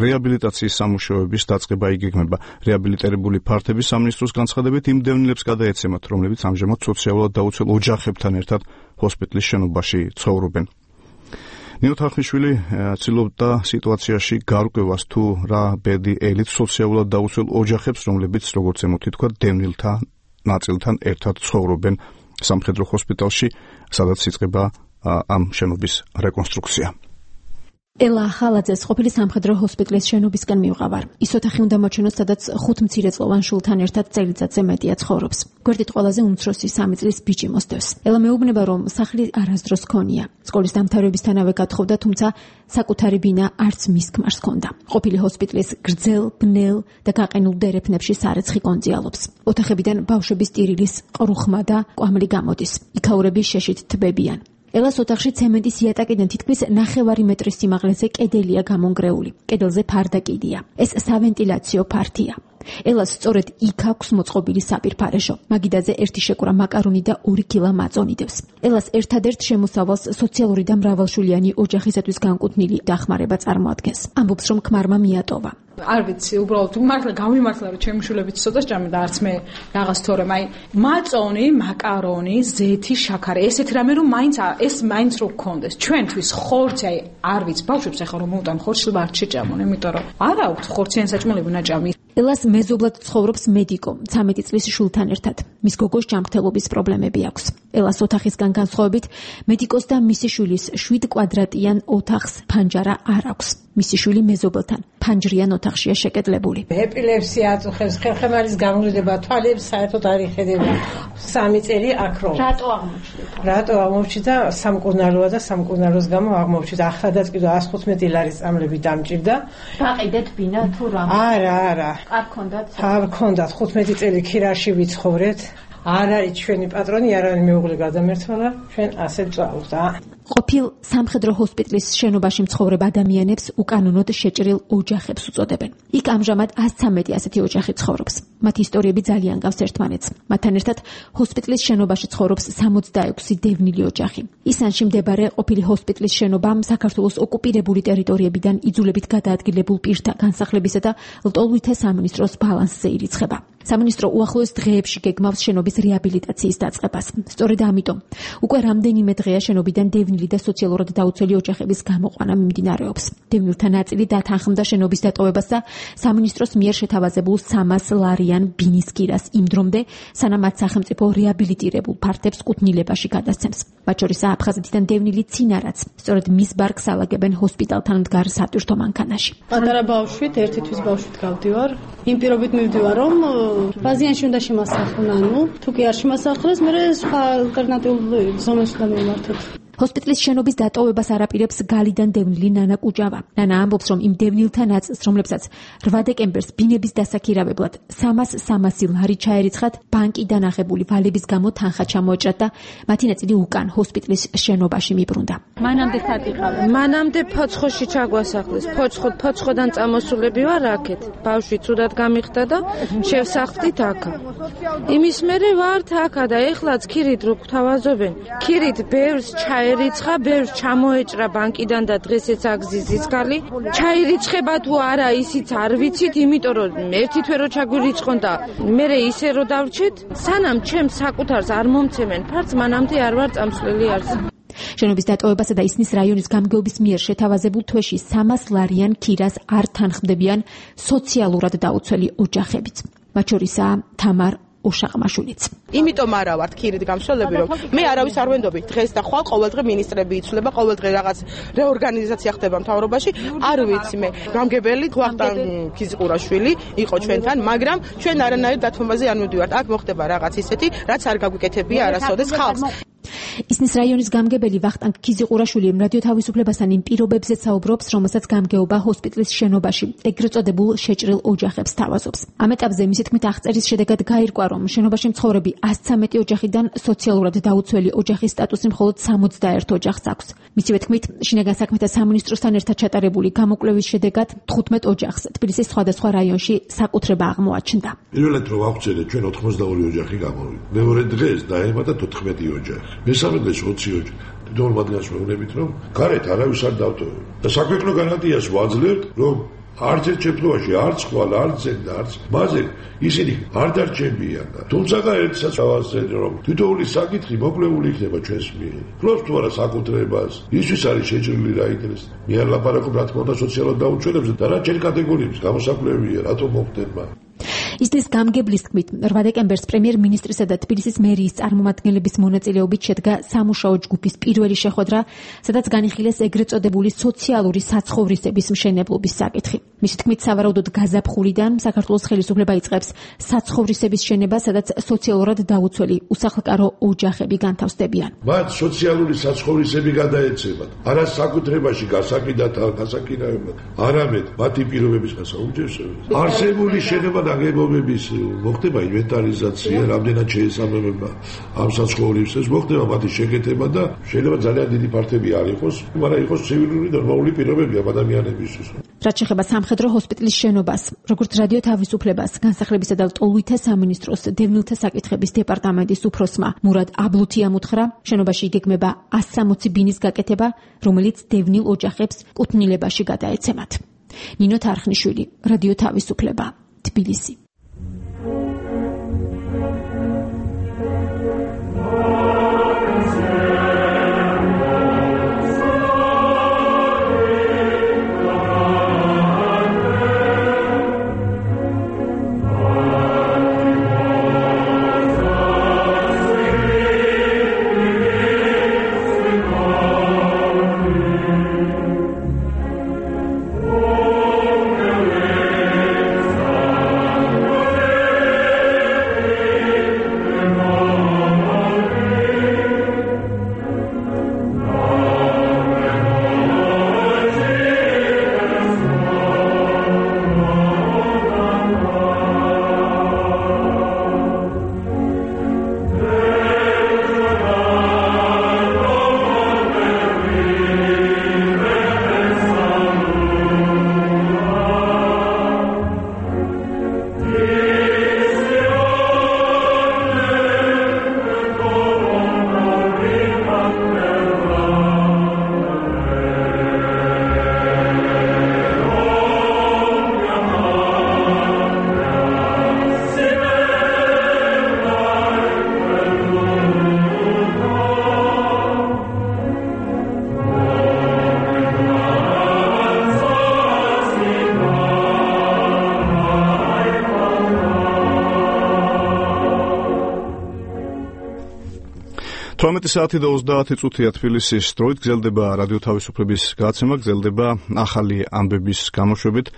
Speaker 3: რეაბილიტაციის სამუშაოების დაწყება იგეგმება. რეაბილიტირებული ფართები სამინისტროს განცხადებით იმ დევნილებს გადაეცემათ, რომლებიც ამჟამად სოციალურად დაუცველ ოჯახებთან ერთად ჰოსპიტალის შენობაში ცხოვრობენ. ნინო თარხნიშვილი ცდილობდა სიტუაციაში გარკვევას თუ რა ბედი ელით სოციალურად დაუცველ ოჯახებს, რომლებიც როგორც ემოთი თქვა, დევნილთა ნაწილთან ერთად ცხოვრობენ სამხედრო ჰოსპიტალში, სადაც იწყება ამ შენობის რეკონსტრუქცია.
Speaker 17: ელა ახალაძეს ყოფილი სამხედრო ჰოსპიტალის შენობისკენ მივყავარ. ის ოთახი უნდა მოჩვენოს, სადაც 5 მცირეწლოვან შულთან ერთად წელიწადზე მეტია ცხოვრობს. გვერდით ყველაზე უმცროსი 3 წლის ბიჭი მოსდევს. ელა მეუბნება, რომ სახლი არასდროს ჰქონია. სკოლის დამთავრებისთანავე გათხოვდა, თუმცა საკუთარი ბინა არც მის ქმარს ჰქონდა. ყოფილი ჰოსპიტალის გრძელ, ბნელ და გაყინულ დერეფნებში სარეცხი კონძიალობს. ოთახებიდან ბავშვების ტირილის ყრუხმა და კვამლი გამოდის. იქაურები შეშით თბებიან. ელას ოთახში ცემენტის იატაკიდან თითქმის 9 მეტრის სიმაღლეზე კედელია გამონგრეული. კედელზე ფარდაკიდია. ეს სავენტილაციო ფართია. ელას სწორედ იქ აქვს მოწყობილი საპირფარეშო. მაგიდაზე 1 შეკურა მაკარონი და 2 კილა მაწონი დევს. ელას ერთადერთ შემოსავალს სოციალური და მრავალშვილიანი ოჯახისათვის განკუთვნილი დახმარება წარმოადგენს. ამბობს, რომ ქმარმა მიატოვა.
Speaker 18: არ ვიცი, უბრალოდ მართლა გამიმართლა, რომ ჩემი შვილებიც ცოტა სჭამდა და არც მე რაღაც თორემ აი მაწონი, მაკარონი, ზეთი, შაქარი, ესეთ რამე რომ ეს მაინც რო გქონდეს. ჩვენთვის ხორცი აი არ ვიცი, ბავშვებს ახლა რომ მოვდან ხორცს არ შეჭამონ, იმიტომ რომ არ აქვს ხორციან საჭმელები ნაჭამი. ელას მეზობლად ცხოვრობს მედიკო, 13 წლის შულთან ერთად. მის გოგოს ჯანმრთელობის პრობლემები აქვს. ელას ოთახისგან განსხვავებით, მედიკოს და მისი შვილის 7 კვადრატიან ოთახს ფანჯარა არ აქვს. მისი შვილი მეზობელთან ფანჯრიან ოთახშია შეკედლებული.
Speaker 19: ეპილეფსია აწუხებს, ხერხემალის გამრუდება, თვალებს საერთოდ არ იხედება. 3 წელი აქროვ.
Speaker 18: რატო აღმოჩნდა?
Speaker 19: რატო აღმოჩნდა? სამკურნალოა და სამკურნალოს გამო აღმოჩნდა. ახლადაც კიდევ 115 ლარის წამლები დამჭირდა.
Speaker 18: გაყიდეთ ბინა თუ რა?
Speaker 19: არა.
Speaker 18: არ ქონდათ?
Speaker 19: არ ქონდათ. 15 წელი ქირაში ვიცხოვრეთ. არ არის ჩვენი პატრონი, არ არის მეუღლე გადამერთვალა, ჩვენ ასე ვწავლთ.
Speaker 17: ყოფილ სამხედრო ჰოსპიტალის შენობაში მცხოვრებ ადამიანებს უკანონოდ შეჭრილ ოჯახებს უწოდებენ. იქ ამჟამად 113 ასეთი ოჯახი ცხოვრობს. მათი ისტორიები ძალიან გავს ერთმანეთს. მათთან ერთად ჰოსპიტალის შენობაში ცხოვრობს 66 დევნილი ოჯახი. ისანში მდებარე ყოფილი ჰოსპიტალის შენობა საქართველოს ოკუპირებული ტერიტორიებიდან იძულებით გადაადგილებულ პირთა განსახლებისა და ლტოლვითე სამინისტროს ბალანსზე ირიცხება. სამინისტრო უახლოეს დღეებში გეგმავს შენობის რეაბილიტაციის დაწყებას. სწორედ ამიტომ უკვე რამდენიმე დღეა შენობიდან დევნილი და სოციალურად დაუცველი ოჯახების გამოყვანა მიმდინარეობს. დევნილთა ნაწილი დათანხმდა შენობის დატოვებას და სამინისტროს მიერ შეთავაზებულ 300 ლარიან ბინის კირას იმ დრომდე, სანამ მათ სახელმწიფო რეაბილიტირებულ ფართებს კუთვნილებაში გადასცემს. მათ შორის აფხაზეთიდან დევნილი ცინარაც, სწორედ მის ბარგს ალაგებენ ჰოსპიტალთან მდგარ სატვირთო მანქანაში.
Speaker 20: პატარა ბავშვით, ერთი თვის ბავშვით გავდივარ. იმ პირობით მივდივარ, რომ ბაზიანში უნდა შემასახლონ, თუ კი არ შემასახლეს, მე სხვა ალტერნატიულ ზონას უნდა მივმართოთ.
Speaker 17: ჰოსპიტალის შენობის დატოვებას არაპირებს გალიდან დევნილი ნანა კუჯავა. ნანა ამბობს, რომ იმ დევნილთა ნაწილს, რომლებსაც 8 დეკემბერს ბინების დასაქირავებლად 300 ლარი ჩაერიცხათ, ბანკიდან აღებული ვალების გამო თანხა ჩამოეჭრათ და მათი ნაწილი უკან ჰოსპიტალის შენობაში მიბრუნდა.
Speaker 6: მანამდე სად იყავ? მანამდე ფოცხოში ჩაგვასახლეს. ფოცხოდან წამოსულები ვარ აქეთ. ბავშვი ცუდად გამიხდა და შევსახლდით აქა. იმის მერე ვართ აქა და ეხლაც ქირით რო გვთავაზობენ. ქირით ბევრს ჩაერიცხა, ბევრს ჩამოეჭრა ბანკიდან და დღესაც აგზის ზისგალი. ჩაერიცხება თუ არა ისიც არ ვიცით, იმიტომ რომ ერთი თვე რო ჩაგვირიცხონ და მე ისე რო დავრჩეთ, სანამ ჩემს საკუთარს არ მომცემენ ფარც, მანამდე არ ვარ წამსვლელი არზე.
Speaker 17: შენობის დატოვებასა და ისნის რაიონის გამგეობის მიერ შეთავაზებულ თვეში 300 ლარიან ქირას არ თანხმდებიან სოციალურად დაუცველი ოჯახებიც. მათ შორისაა თამარ უშაყმაშვილიც.
Speaker 21: იმიტომ არა ვართ ქირით გამშველები, რომ მე არავის არ ვენდობი. დღეს და ხვალ ყოველდღე ministrები იცვლება, ყოველდღე რაღაც რეორგანიზაცია ხდება მთავრობაში. არ ვიცი მე. გამგებელი ვახტანგ ქიზიყურაშვილი იყო ჩვენთან, მაგრამ ჩვენ არანაირ დათმობაზე არ მივდივართ. აქ მოხდება რაღაც ისეთი, რაც არ გაგვიკეთებია არასოდეს ხალხს.
Speaker 17: ისნის რაიონის გამგებელი ვახტანგ ქიზიყურაშვილი რადიო თავისუფლებასთან იმ პირობებზე საუბრობს, რომელსაც გამგეობა ჰოსპიტალის შენობაში ეგრეთ წოდებულ შეჭრილ ოჯახებს თავაზობს. ამ ეტაპზე მისი თქმით აღწერის შედეგად გაირკვა, რომ შენობაში მცხოვრები 113 ოჯახიდან სოციალურად დაუცველი ოჯახის სტატუსი მხოლოდ 61 ოჯახს აქვს. მისივე თქმით, შინაგან საქმეთა სამინისტროსთან ერთად ჩატარებული გამოკვლევის შედეგად 15 ოჯახს თბილისის სხვადასხვა რაიონში საკუთრება აღმოაჩნდა.
Speaker 7: პირველად რომ აღწერეთ, ჩვენ 82 ოჯახი გამოვიდა. მეორე დღეს დაემატა 14 ოჯახი. მესამე დღეს 20 ოჯახი. თვითონ მათგანს მეუბნებით, რომ გარეთ არავის არ დავტოვებთ. და საქვეყნო განათიას ვაძლევთ, რომ არც ერთ შემთხვევაში, არც ხვალ, არც ზედ და არც მასე ისინი არ დარჩებიან. თუმცა ერთსაც ავასწრეთ, რომ თითოეული საკითხი მოკვლეული იქნება ჩვენს მიერ. ფლობს თუ არა საკუთრებას, ისვის არის შეჭრილი რა იქნეს. მე არ ლაპარაკობ რა თქმა უნდა სოციალურად დაუჩვენებზე და რა ჩემი კატეგორიების გამოსაკვლევია, რატომ მოხდება.
Speaker 17: ისნის გამგებლის თქმით, 8 დეკემბერს პრემიერ-მინისტრისა და თბილისის მერიის წარმომადგენლების მონაწილეობით შედგა სამუშაო ჯგუფის პირველი შეხვედრა, სადაც განიხილეს ეგრეთ წოდებული სოციალური საცხოვრისების მშენებლობის საკითხი. მისი თქმით, სავარაუდოდ გაზაფხულიდან საქართველოს ხელისუფლება იწყებს საცხოვრისების შენებას, სადაც სოციალურად დაუცველი უსახლკარო ოჯახები განთავსდებიან.
Speaker 7: მათ სოციალური საცხოვრისები გადაეცემათ, არა საკუთრებაში გასაკინაებად, არამედ მათი პირობების გასაუმჯობესებლად. არსებული შენობა ნაგებობების მოხდება ინვენტარიზაცია, რამდენად შეესაბამება ამ საცხოვრისებს, მოხდება მათი შეკეთება და შეიძლება ძალიან დიდი ფართები არ იყოს, მაგრამ იყოს ცივილური ნორმალური პირობები ამ ადამიანებისთვის.
Speaker 17: რაც შეეხება სამხედრო ჰოსპიტალის შენობას, როგორც რადიო თავისუფლებას, განსახლებისა და ლტოლვითე სამინისტროს დევნილთა საკითხების დეპარტამენტის უფროსმა მურად აბლუთიამ უთხრა, შენობაში იგეგმება 160 ბინის გაკეთება, რომელიც დევნილ ოჯახებს კუთვნილებაში გადაეცემათ. ნინო თარხნიშვილი, რადიო თავისუფლება, თბილისი.
Speaker 3: 18 საათი და 30 წუთია თბილისის დროით გრძელდება რადიო თავისუფლების გადაცემა, გრძელდება ახალი ამბების გამოშვებით,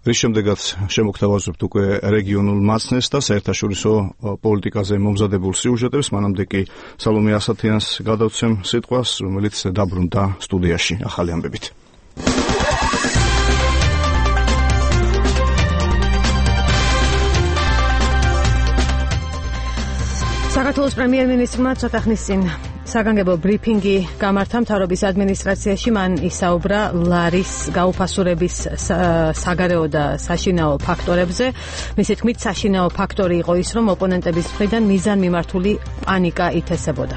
Speaker 3: რის შემდეგაც შემოგთავაზებთ უკვე რეგიონულ მაცნეს და საერთაშორისო პოლიტიკაზე მომზადებულ სიუჟეტებს, მანამდე კი სალომე ასათიანს გადავცემ სიტყვას, რომელიც დაბრუნდა სტუდიაში ახალი ამბებით.
Speaker 2: საქართველოს პრემიერ-მინისტრმა ცოტა ხნის წინ საგანგებო ბრიფინგი გამართა მთავრობის ადმინისტრაციაში. მან ისაუბრა ლარის გაუფასურების საგარეო და საშინაო ფაქტორებზე. მისი თქმით, საშინაო ფაქტორი იყო ის, რომ ოპონენტების მხრიდან მიზანმიმართული პანიკა ითესებოდა.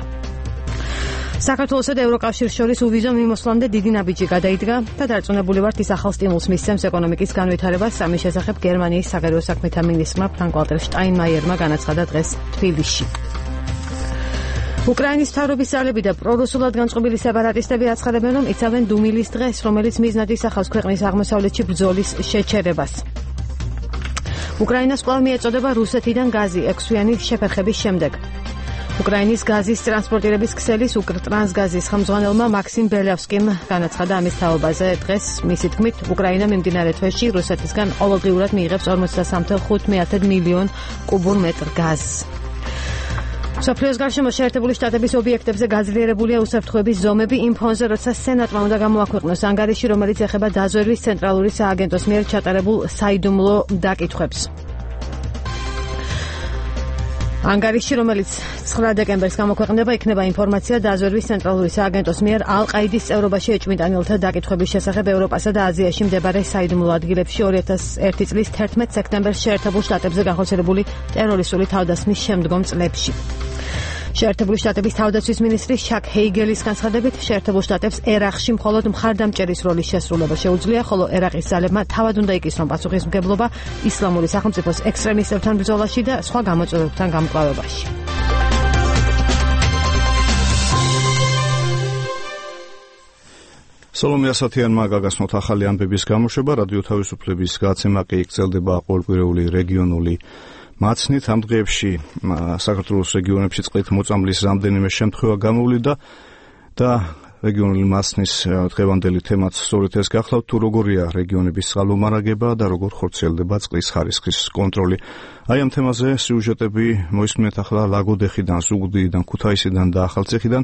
Speaker 2: საქართველოსა და ევროკავშირს შორის უვიზო მიმოსვლამდე დიდი ნაბიჯი გადაიდგა და დარწმუნებული ვართ, ის ახალ სტიმულს მისცემს ეკონომიკის განვითარებას. ამის შესახებ გერმანიის საგარეო საქმეთა მინისტრმა ფრანკ-ვალტერ შტაინმაიერმა განაცხადა დღეს თბილისში. უკრაინის მთავრობის ძალები და პრორუსულად განწყობილი სეპარატისტები აცხადებენ, რომ იცავენ დუმილის დღეს, რომელიც მიზნად ისახავს ქვეყნის აღმოსავლეთში ბრძოლის შეჩერებას. უკრაინას კვლავ მიეწოდება რუსეთიდან გაზი 6-თვიანი შეფერხების შემდეგ. უკრაინის გაზის ტრანსპორტირების ქსელის უკრტრანსგაზის ხელმძღვანელმა მაქსიმ ბელევსკიმ განაცხადა ამის თაობაზე დღეს. მისი თქმით, უკრაინა მიმდინარე თვეში რუსეთისგან ყოველდღიურად მიიღებს 43.5 მილიონ კუბურ მეტრ გაზს. მსოფლიოს გარშემო შეერთებული შტატების ობიექტებზე გაძლიერებულია უსაფრთხოების ზომები იმ ფონზე, როცა სენატმა უნდა გამოაქვეყნოს ანგარიში, რომელიც ეხება დაზვერვის ცენტრალური სააგენტოს მიერ ჩატარებულ საიდუმლო დაკითხვებს. ანგარიში, რომელიც 9 დეკემბერს გამოქვეყნდება, იქნება ინფორმაცია დაზვერვის ცენტრალური სააგენტოს მიერ ალ-ყაიდის წევრობაში ეჭვმიტანილთა დაკითხვების შესახებ ევროპასა და აზიაში მდებარე საიდუმლო ადგილებში 2001 წლის 11 სექტემბერს შეერთებულ შტატებზე განხორციელებული ტერორისტული თავდასხმის შემდგომ წლებში. შეერთებული შტატების თავდაცვის მინისტრი შაკ ჰეიგელის განცხადებით, შეერთებულ შტატებს ერაყში მხოლოდ მხარდამჭერის როლის შესრულება შეუძლია, ხოლო ერაყის ძალებმა თავად უნდა იკისრონ პასუხისმგებლობა ისლამური სახელმწიფოს ექსტრემისტებთან ბრძოლაში და სხვა გამოწვევებთან გამკლავებაში.
Speaker 3: სალომე ასათიანმა გაგაცნოთ ახალი ამბების გამოშვება, რადიო თავისუფლების გადაცემა კი გრძელდება ყოველკვირეული რეგიონული მაცნით. ამ დღეებში საქართველოს რეგიონებში წყლით მოწამვლის რამდენიმე შემთხვევა გამოვლინდა და რეგიონული მაცნის დღევანდელი თემაც სწორედ ეს გახლავთ, თუ როგორია რეგიონების წყალმომარაგება და როგორ ხორციელდება წყლის ხარისხის კონტროლი. აი ამ თემაზე სიუჟეტები მოისმინეთ ახლა ლაგოდეხიდან, ზუგდიდიდან, ქუთაისიდან და ახალციხიდან.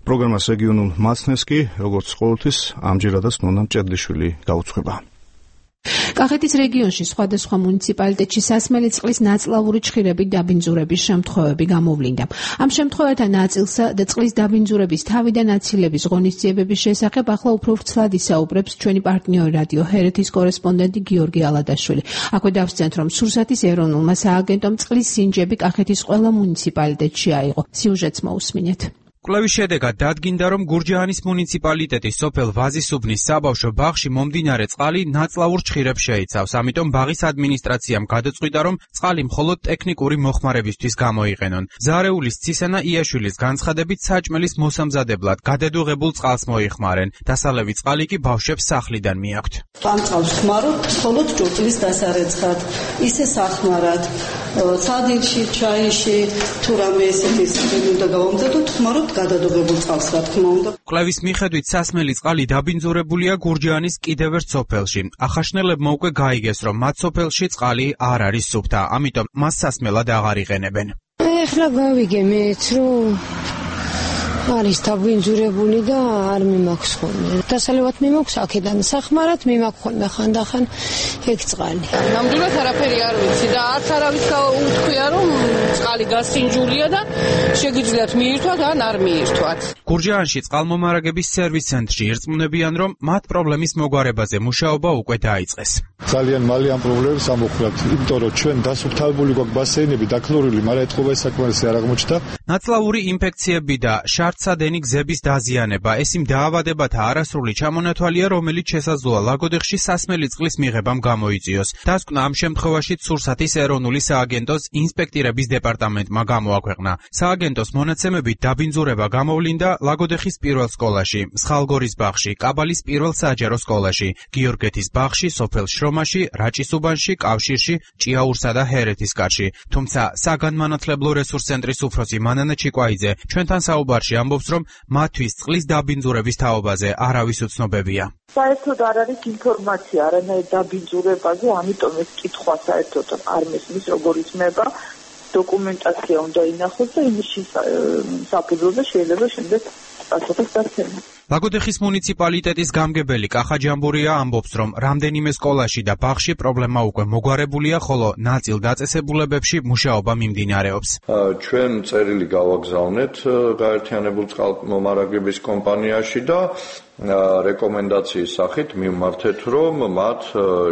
Speaker 3: პროგრამას რეგიონულ მაცნეს კი, როგორც ყოველთვის, ამჯერადაც ნონა მჭედლიშვილი გაუძღვება.
Speaker 17: კახეთის რეგიონში სხვადასხვა მუნიციპალიტეტში სასმელი წყლის ნაწლავური ჩხირების დაბინძურების შემთხვევები გამოვლინდა. ამ შემთხვევათა ნაწილსა და წყლის დაბინძურების თავიდან აცილების ღონისძიებების შესახებ ახლა უფრო ვრცლად ისაუბრებს ჩვენი პარტნიორი რადიო ჰერეთის კორესპონდენტი გიორგი ალადაშვილი. აქვე დავსწრეთ, რომ სურსათის ეროვნულმა სააგენტომ წყლის სინჯები კახეთის ყველა მუნიციპალიტეტში აიღო. სიუჟეტს მოусმინეთ.
Speaker 22: კვლევის შედეგად დადგინდა, რომ გურჯაანის მუნიციპალიტეტის სოფელ ვაზისუბნის საბავშვო ბაღში მომდინარე წყალი ნაწლავურ ჩხირებს შეიცავს. ამიტომ ბაღის ადმინისტრაციამ გადაწყვიტა, რომ წყალი მხოლოდ ტექნიკური მოხმარებისთვის გამოიყენონ. ზარეულის ცისანა იაშვილის განცხადებით, საჭმელის მოსამზადებლად გადადუღებულ წყალს მოიხმარენ. დასალევი წყალი კი ბავშვებს სახლიდან მიაქვთ.
Speaker 23: ამ წყალს ხმარობთ მხოლოდ ჭურჭლის დასარეცხად, ისე სახმარად, სადილში, ჩაიში, თუ რამე ესეთი უნდა გავამზადოთ, ხმარობთ გადადუღებულ წყალს, რა თქმა უნდა.
Speaker 22: კვლევის მიხედვით სასმელი წყალი დაბინძურებულია გურჯაანის კიდევ ერთ სოფელში. ახაშნელებმა უკვე გაიგეს, რომ მათ სოფელში წყალი არ არის სუფთა, ამიტომ მას სასმელად აღარ იყენებენ.
Speaker 15: ეხლა გავიგე მეც, რომ არის დაბინძურებული და არ მიმაქვს ხოლმე. დასალევად მიმაქვს აქედან, სახმარად მიმაქვს ხოლმე ხანდახან ეგ წყალი.
Speaker 21: ნამდვილად არაფერი არ ვიცი და არც არავის უთქვია, რომ წყალი გასინჯულია და შეგიძლიათ მიირთვათ ან არ მიირთვათ.
Speaker 22: გურჯაანში წყალმომარაგების სერვის ცენტრში ირწმუნებიან, რომ მათ პრობლემის მოგვარებაზე მუშაობა უკვე დაიწყეს.
Speaker 24: ძალიან მალე ამ პრობლემებს ამოხვრათ, იმიტომ რომ ჩვენ დასუფთავებული გვაქვს ბასეინები, დაქლორული, მაგრამ ეთყობა საკმარისი არ აღმოჩნდა.
Speaker 22: ნაწლავური ინფექციები და შარდ მართსადენი გზების დაზიანება. ეს იმ დაავადებათა არასრული ჩამონათვალია, რომელიც შესაძლოა ლაგოდეხში სასმელი წყლის მიღებამ გამოიწვიოს. დასკვნა ამ შემთხვევაში სურსათის ეროვნული სააგენტოს ინსპექტირების დეპარტამენტმა გამოაქვეყნა. სააგენტოს მონაცემებით დაბინძურება გამოვლინდა ლაგოდეხის პირველ სკოლაში, მსხალგორის ბაღში, კაბალის პირველ საჯარო სკოლაში, გიორგეთის ბაღში, სოფელ შრომაში, რაჭის უბანში, კავშირში, ჭიაურსა და ჰერეთის კარში. თუმცა საგანმანათლებლო რესურს ცენტრის უფროსი მანანა ჩიკვაიძე ჩვენთან საუბარში ამბობს, რომ მათთვის წყლის დაბინძურების თაობაზე არავის უცნობებია.
Speaker 8: საერთოდ არ არის ინფორმაცია არანაირ დაბინძურებაზე, ამიტომ ეს კითხვა საერთოდ არ მესმის, როგორ იწმება. დოკუმენტაცია უნდა ინახოს და იმის საფუძველზე შეიძლება შემდეგ პასუხის დაცემა.
Speaker 22: ლაგოდეხის მუნიციპალიტეტის გამგებელი კახა ჯამბურია ამბობს, რომ რამდენიმე სკოლაში და ბაღში პრობლემა უკვე მოგვარებულია, ხოლო ნაწილ დაწესებულებებში მუშაობა მიმდინარეობს.
Speaker 9: ჩვენ წერილი გავაგზავნეთ გაერთიანებულ წყალმომარაგების კომპანიაში და რეკომენდაციის სახით მივმართეთ, რომ მათ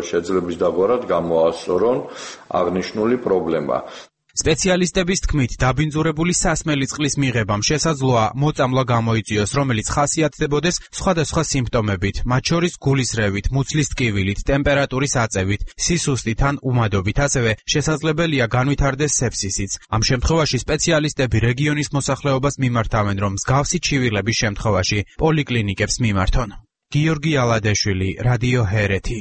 Speaker 9: შეძლების დაგვარად გამოასწორონ აღნიშნული პრობლემა. სპეციალისტების თქმით, დაბინძურებული სასმელი წყლის მიღებამ შესაძლოა მოწამვლა გამოიწვიოს, რომელიც ხასიათდებოდეს სხვადასხვა სიმპტომებით, მათ შორის გულისრევით, მუცლის ტკივილით, ტემპერატურის აწევით, სისუსტით ან უმადობით, ასევე შესაძლებელია განვითარდეს სეფსისიც. ამ შემთხვევაში სპეციალისტები რეგიონის მოსახლეობას მიმართავენ, რომ მსგავსი ჩივილების შემთხვევაში პოლიკლინიკებს მიმართონ. გიორგი ალადეშვილი, რადიო ჰერეთი.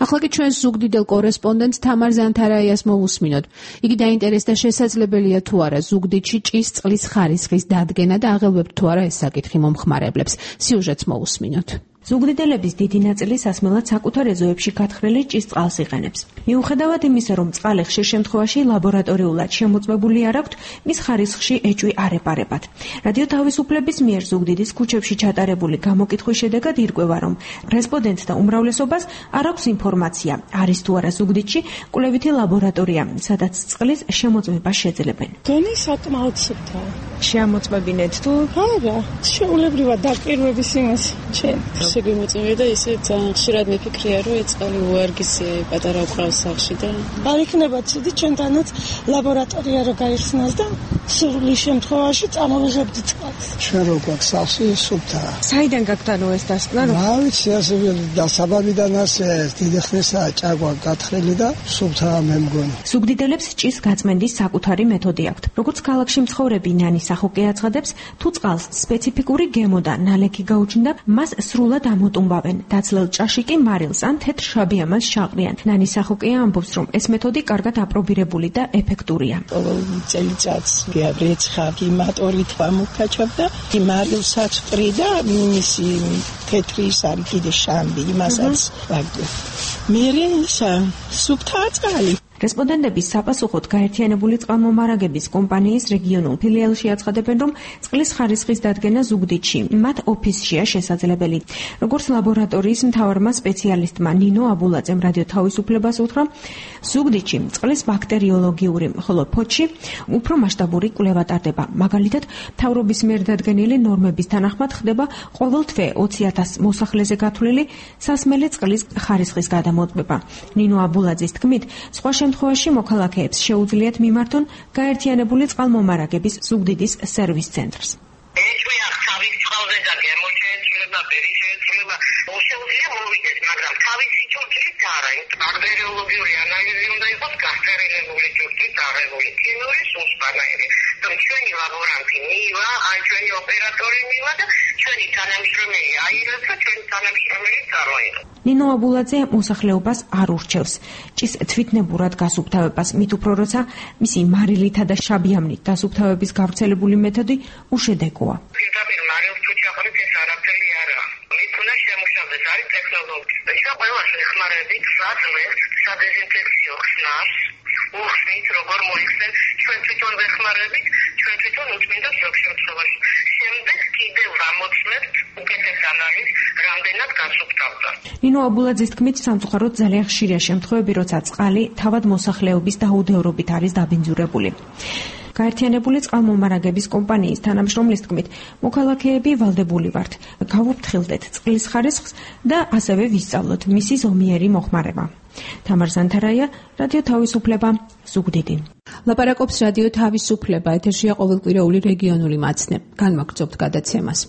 Speaker 17: ახლა კი ჩვენ ზუგდიდელ კორესპონდენტ თამარ ზანთარაიას მოვუსმინოთ. იგი დაინტერესდა შესაძლებელია თუ არა ზუგდიდში ჭის წყლის ხარისხის დადგენა და აღელვებთ თუ არა ეს საკითხი მომხმარებლებს. სიუჟეტს მოვუსმინოთ.
Speaker 10: ზუგდიდელების დიდი ნაწილი სასმელად საკუთარ ეზოებში გათხრილი ჭის წყალს იყენებს. მიუხედავად იმისა, რომ წყალი ხშირ შემთხვევაში ლაბორატორიულად შემოწმებული არ აქვთ, მის ხარისხში ეჭვი არ ეპარებათ. რადიო თავისუფლების მიერ ზუგდიდის ქუჩებში ჩატარებული გამოკითხვის შედეგად ირკვევა, რომ რესპონდენტთა უმრავლესობას არ აქვს ინფორმაცია, არის თუ არა ზუგდიდში კვლევითი ლაბორატორია, სადაც წყლის შემოწმებას შეძლებენ.
Speaker 20: დონე საკმაოდ სუფთა.
Speaker 10: შეამოწმებინეთ თუ?
Speaker 20: არა, შეულებრივად დაკვირვების იმას ჩვენ.
Speaker 11: შეგვიმოწმებია და ისე ძალიან ხშირად მიფიქრია, რომ ეს წყალი უარგისია პატარა უკრავს სახში და
Speaker 20: არ იქნება ცუდი ჩვენთანაც ლაბორატორია რო გაიხსნას და სრული შემთხვევაში წამოვიღებთ წყალს.
Speaker 25: ჩვენ რო გვაქვს სახში სუფთაა.
Speaker 10: საიდან გაგვთანო ეს დასკვნა?
Speaker 25: რა ვიცი, ასე დასაბამიდან ასე დიდი ხნისაა ჭაგვა გათხრილი და სუფთაა მე მგონი.
Speaker 10: ზუგდიდელებს ჭის გაწმენდის საკუთარი მეთოდი აქვთ. როგორც ქალაქში მცხოვრები ნანი სახოკე აცხადებს, თუ წყალს სპეციფიკური გემო და ნალექი გაუჩნდა, მას სრულად ამოტუმბავენ. დაცლელ ჭაში კი მარილს ან თეთრ შაბიამას შაყრიან. ნანი სახოკეა ამბობს, რომ ეს მეთოდი კარგად აპრობირებული და ეფექტურია.
Speaker 25: წელიწადს გიაბრეცხავ იმატორით ვამოქაჩავდა, მარილსაც ვყრი და მისი თეთრი ის არის კიდე შამბი, იმასაც ვაგდო. მერე ისა სუფთაა წყალი. რესპონდენტების საპასუხოდ გაერთიანებული წყალმომარაგების კომპანიის რეგიონულ ფილიალში აცხადებენ, რომ წყლის ხარისხის დადგენა ზუგდიდში მათ ოფისშია შესაძლებელი. როგორც ლაბორატორიის მთავარმა სპეციალისტმა ნინო აბულაძემ რადიო თავისუფლებას უთხრა, ზუგდიდში წყლის ბაქტერიოლოგიური, ხოლო ფოთში უფრო მასშტაბური კვლევა ტარდება. მაგალითად, მთავრობის მიერ დადგენილი ნორმების თანახმად ხდება ყოველ თვე 20,000 მოსახლეზე გათვლილი სასმელი წყლის ხარისხის გადამოწმება. ნინო აბულაძის თქმით, სხვა შემთხვევაში მოქალაქეებს შეუძლიათ მიმართონ გაერთიანებული წყალმომარაგების ზუგდიდის სერვის ცენტრს.
Speaker 26: შეუძლია მოვიდეს, მაგრამ თავისი ჯუჯით არა, ბაქტერიოლოგიური ანალიზი უნდა იყოს გასწერილებული ჯუჯით აღებული, ქიმიური სუსპანაირი. ჩვენი ლაბორანტი მივა, ან ჩვენი ოპერატორი მივა და ჩვენი თანამშრომელი აირებს და ჩვენი თანამშრომელი წარმოიღებს.
Speaker 10: ნინო აბულაძე მოსახლეობას არ ურჩევს ჭის თვითნებურად გასუფთავებას, მით უფრო როცა მისი მარილითა და შაბიამნით დასუფთავების გავრცელებული მეთოდი უშედეგოა.
Speaker 26: პირდაპირ მარილს თუ ჩაყრით ეს არაფერი არა. მით უნდა შემუშავდეს არის ტექნოლოგია. და ყველა შეხმარებით საძმეს, სადეზინფექციო ხსნას, უხსნით როგორ მოიხსენ, ჩვენ თვითონ ვეხმარებით, ჩვენ თვითონ უწმინდა ზოგ შემთხვევაში. შემდეგ კიდევ ვამოწმებთ უკეთეს ანალიზს, რამდენად გასუფთავდა.
Speaker 10: ნინო აბულაძის თქმით, სამწუხაროდ ძალიან ხშირია შემთხვევები, როცა წყალი თავად მოსახლეობის დაუდევრობით არის დაბინძურებული. გაერთიანებული წყალმომარაგების კომპანიის თანამშრომლის თქმით, მოქალაქეები ვალდებული ვართ, გავუფრთხილდეთ წყლის ხარისხს და ასევე ვისწავლოთ მისი ზომიერი მოხმარება. თამარ ზანთარაია, რადიო თავისუფლება, ზუგდიდი.
Speaker 17: ლაპარაკობს რადიო თავისუფლება, ეთერშია ყოველკვირეული რეგიონული მაცნე. განვაგრძობთ გადაცემას.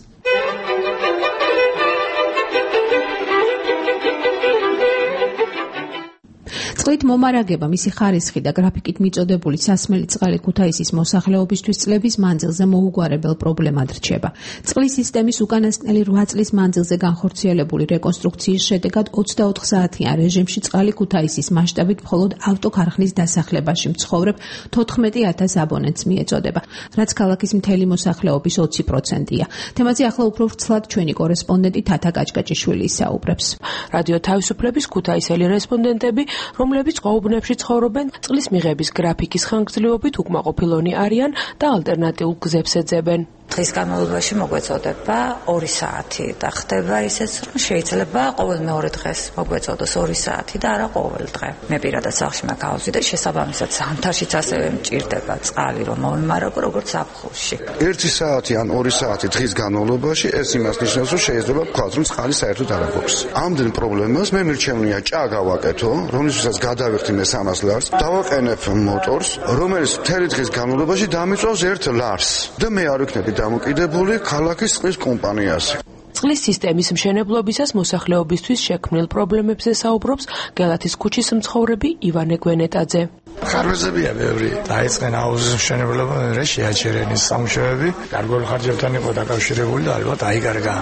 Speaker 17: წყლით მომარაგება, მისი ხარისხი და გრაფიკით მიწოდებული სასმელი წყალი ქუთაისის მოსახლეობისთვის წლების მანძილზე მოუგვარებელ პრობლემად რჩება. წყლის სისტემის უკანასკნელი 8 წლის მანძილზე განხორციელებული რეკონსტრუქციის შედეგად 24 საათიან რეჟიმში წყალი ქუთაისის მასშტაბით მხოლოდ ავტოქარხნის დასახლებაში მცხოვრებ 14,000 აბონენტს მიეწოდება, რაც ქალაქის მთელი მოსახლეობის 20%-ია. თემაზე ახლა უფრო ვრცლად ჩვენი კორესპონდენტი თათა კაჭკაჭიშვილი ისაუბრებს.
Speaker 1: რადიო თავისუფლების ქუთაისელი რესპონდენტები, რომლებიც ყოუბნებში ცხოვრობენ, წყლის მიღების გრაფიკის ხანგრძლივობით უკმაყოფილონი არიან და ალტერნატიულ გზებს ეძებენ.
Speaker 5: დღის განმავლობაში მოგვეწოდება 2 საათი და ხდება ისიც, რომ შეიძლება ყოველ მეორე დღეს მოგვეწოდოს 2 საათი და არა ყოველ დღე. მე პირადად სახლში მაგავზი და შესაბამისად ზამთარშიც ასევე მჭირდება წყალი, რომ მომიმარაგო როგორც ზაფხულში.
Speaker 12: 1 საათი ან 2 საათი დღის განმავლობაში ეს იმას ნიშნავს, რომ შეიძლება ვთქვათ, რომ წყალი საერთოდ არ აქვს. ამდენ პრობლემას მე მირჩევნია ჭა გავაკეთო, რომლისთვისაც გადავიხდი მე 300 ლარს, დავაყენებ მოტორს, რომელიც მთელი დღის განმავლობაში დამიწვავს 1 ლარს და მე არ ვიქნები დამოკიდებული ქალაქის წყლის კომპანიაზე.
Speaker 1: წყლის სისტემის მშენებლობისას მოსახლეობისთვის შექმნილ პრობლემებზე საუბრობს გელათის ქუჩის მცხოვრები ივანე გვენეტაძე.
Speaker 13: ხარვეზებია ბევრი. დაიწყენ აუზის მშენებლობა, მე შეაჩერენ ის სამუშაოები, გარკვეულ ხარჯებთან იყო დაკავშირებული და ალბათ აიგარგა.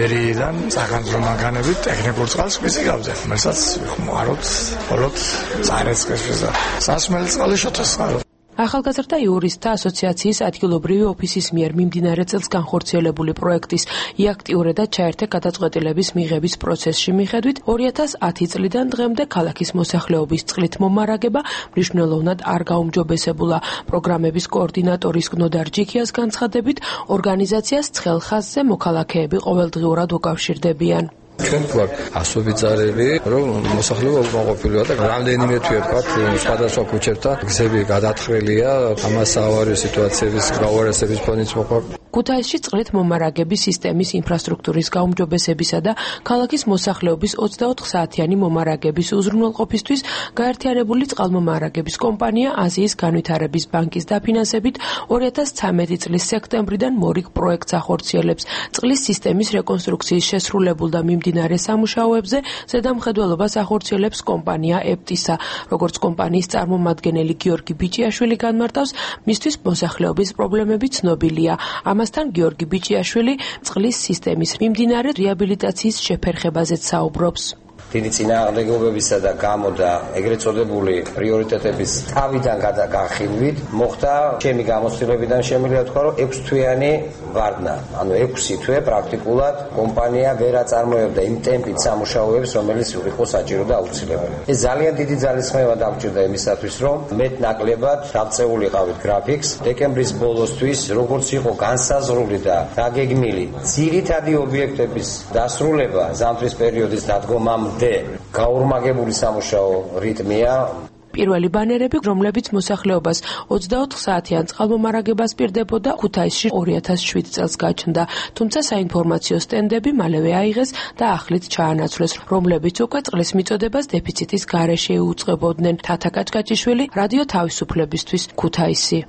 Speaker 13: ერიდან სახანძრო მანქანებით ტექნიკურ წყალს ვიზიგავდნენ. მესაც ხმარობთ, მხოლოდ წარეწყეს და სასმელი წყალი შოთასხარო.
Speaker 1: ახალგაზრდა იურისტთა ასოციაციის ადგილობრივი ოფისის მიერ მიმდინარე წელს განხორციელებული პროექტის იაქტიურედად ჩაერთე გადაწყვეტილების მიღების პროცესში მიხედვით 2010 წლიდან დღემდე ქალაქის მოსახლეობის წყლით მომარაგება მნიშვნელოვნად არ გაუმჯობესებულა. პროგრამების კოორდინატორის გნოდარ ჯიქიას განცხადებით, ორგანიზაციას ცხელ ხაზზე მოქალაქეები ყოველდღიურად უკავშირდებიან.
Speaker 14: ჩვენ გვაქვს ასობით ზარები, რომ მოსახლეობა უკმაყოფილოა და რამდენიმე თვე ვთქვათ, სხვადასხვა ქუჩებთან გზები გადათხრილია, ამას ავარიო სიტუაციების გაუარესების ფონიც მოყვა.
Speaker 1: ქუთაისში წყლით მომარაგების სისტემის ინფრასტრუქტურის გაუმჯობესებისა და ქალაქის მოსახლეობის 24 საათიანი მომარაგების უზრუნველყოფისთვის გაერთიანებული წყალმომარაგების კომპანია აზიის განვითარების ბანკის დაფინანსებით 2013 წლის სექტემბრიდან მორიგ პროექტს ახორციელებს. წყლის სისტემის რეკონსტრუქციის შესრულებულ და მიმდინარე სამუშაოებზე ზედამხედველობას ახორციელებს კომპანია ეპტისა. როგორც კომპანიის წარმომადგენელი გიორგი ბიჭიაშვილი განმარტავს, მისთვის მოსახლეობის პრობლემები ცნობილია. ამასთან გიორგი ბიჭიაშვილი წყლის სისტემის მიმდინარე რეაბილიტაციის შეფერხებაზეც საუბრობს.
Speaker 16: დიდი წინააღმდეგობებისა და გამო და ეგრეთ წოდებული პრიორიტეტების თავიდან განხილვით მოხდა ჩემი გამოცდილებიდან შემიძლია ვთქვა, რომ 6 თვიანი ვარდნა, ანუ 6 თვე პრაქტიკულად კომპანია ვერ აწარმოებდა იმ ტემპით სამუშაოებს, რომელიც იყო საჭირო და აუცილებელი. ეს ძალიან დიდი ძალისხმევა დამჭირდა იმისათვის, რომ მეტ-ნაკლებად დავწეულიყავით გრაფიკს დეკემბრის ბოლოსთვის, როგორც იყო განსაზღვრული და დაგეგმილი ძირითადი ობიექტების დასრულება ზამთრის პერიოდის დადგომამდე გაურმაგებული სამუშაო რიტმია.
Speaker 1: პირველი ბანერები, რომლებიც მოსახლეობას 24 საათიან წყალმომარაგებას პირდებოდა, ქუთაისში 2007 წელს გაჩნდა, თუმცა საინფორმაციო სტენდები მალევე აიღეს და ახლით ჩაანაცვლეს, რომლებიც უკვე წყლის მიწოდებას დეფიციტის გარეშე იუწყებოდნენ. თათა კაჭკაჭიშვილი, რადიო თავისუფლებისთვის, ქუთაისი.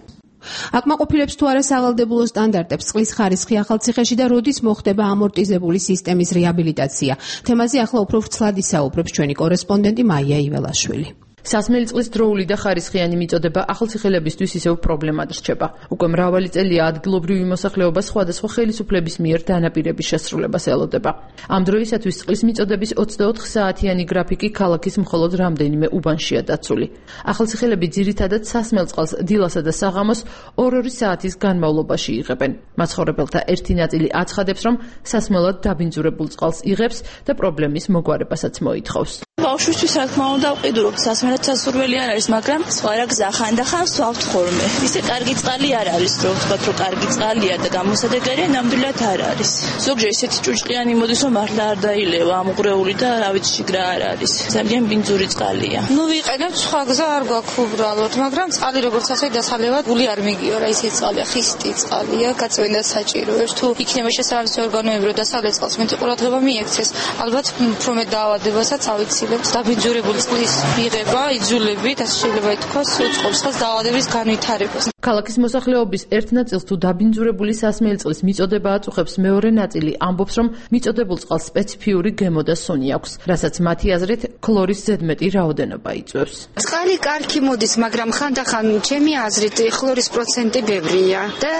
Speaker 17: აკმაყოფილებს თუ არა სავალდებულო სტანდარტებს წყლის ხარისხი ახალციხეში და როდის მოხდება ამორტიზებული სისტემის რეაბილიტაცია. თემაზე ახლა უფრო ვრცლად ისაუბრებს ჩვენი კორესპონდენტი მაია იველაშვილი.
Speaker 27: სასმელი წყლის დროული და ხარისხიანი მიწოდება ახალციხელებისთვის ისევ პრობლემად რჩება. უკვე მრავალი წელია ადგილობრივი მოსახლეობა სხვადასხვა ხელისუფლების მიერ დანაპირების შესრულებას ელოდება. ამ დროისათვის წყლის მიწოდების 24 საათიანი გრაფიკი ქალაქის მხოლოდ რამდენიმე უბანშია დაცული. ახალციხელები ძირითადად სასმელ წყალს დილასა და საღამოს 2-2 საათის განმავლობაში იღებენ. მაცხოვრებელთა ერთი ნაწილი აცხადებს, რომ სასმელად დაბინძურებულ წყალს იღებს და პრობლემის მოგვარებასაც მოითხოვს.
Speaker 28: ბავშვისთვის რა თქმა უნდა ვყიდულობ სასმელად სასურველი არ არის, მაგრამ სხვა რა გზა ხანდახან ვსვავთ ხოლმე. ისე კარგი წყალი არ არის, რომ ვთქვათ, რომ კარგი წყალია და გამოსადეგარია, ნამდვილად არ არის. ზოგჯერ ისეთი ჭუჭყიანი მოდის, რომ მართლა არ დაილევა ამღვრეული და რა ვიცი შიგრა არ არის. ძალიან ბინძური წყალია.
Speaker 29: ნუ ვიყენებთ, სხვა გზა არ გვაქვს უბრალოდ, მაგრამ წყალი როგორც ასე დასალევად გული არ მიგიო რა, ისეთი წყალია, ხისტი წყალია, გაწვენდა საჭიროებს. თუ იქნება შესაბამისი ორგანოები, რომ დასავლეთ წყალს მეტი ყურადღება მიექცეს, ალბათ უფრო მეტ დაავადებასაც ავიცილებ. აუცილებთ. დაბინძურებული წყლის მიღება, იძულებით, ასე შეიძლება ითქვას, უწყობს ხელს დაავადების განვითარებას.
Speaker 27: ქალაქის მოსახლეობის ერთ ნაწილს თუ დაბინძურებული სასმელი წყლის მიწოდება აწუხებს, მეორე ნაწილი ამბობს, რომ მიწოდებულ წყალს სპეციფიური გემო და სუნი აქვს, რასაც მათი აზრით ქლორის ზედმეტი რაოდენობა იწვევს.
Speaker 29: წყალი კარგი მოდის, მაგრამ ხანდახან ჩემი აზრით ქლორის პროცენტი ბევრია და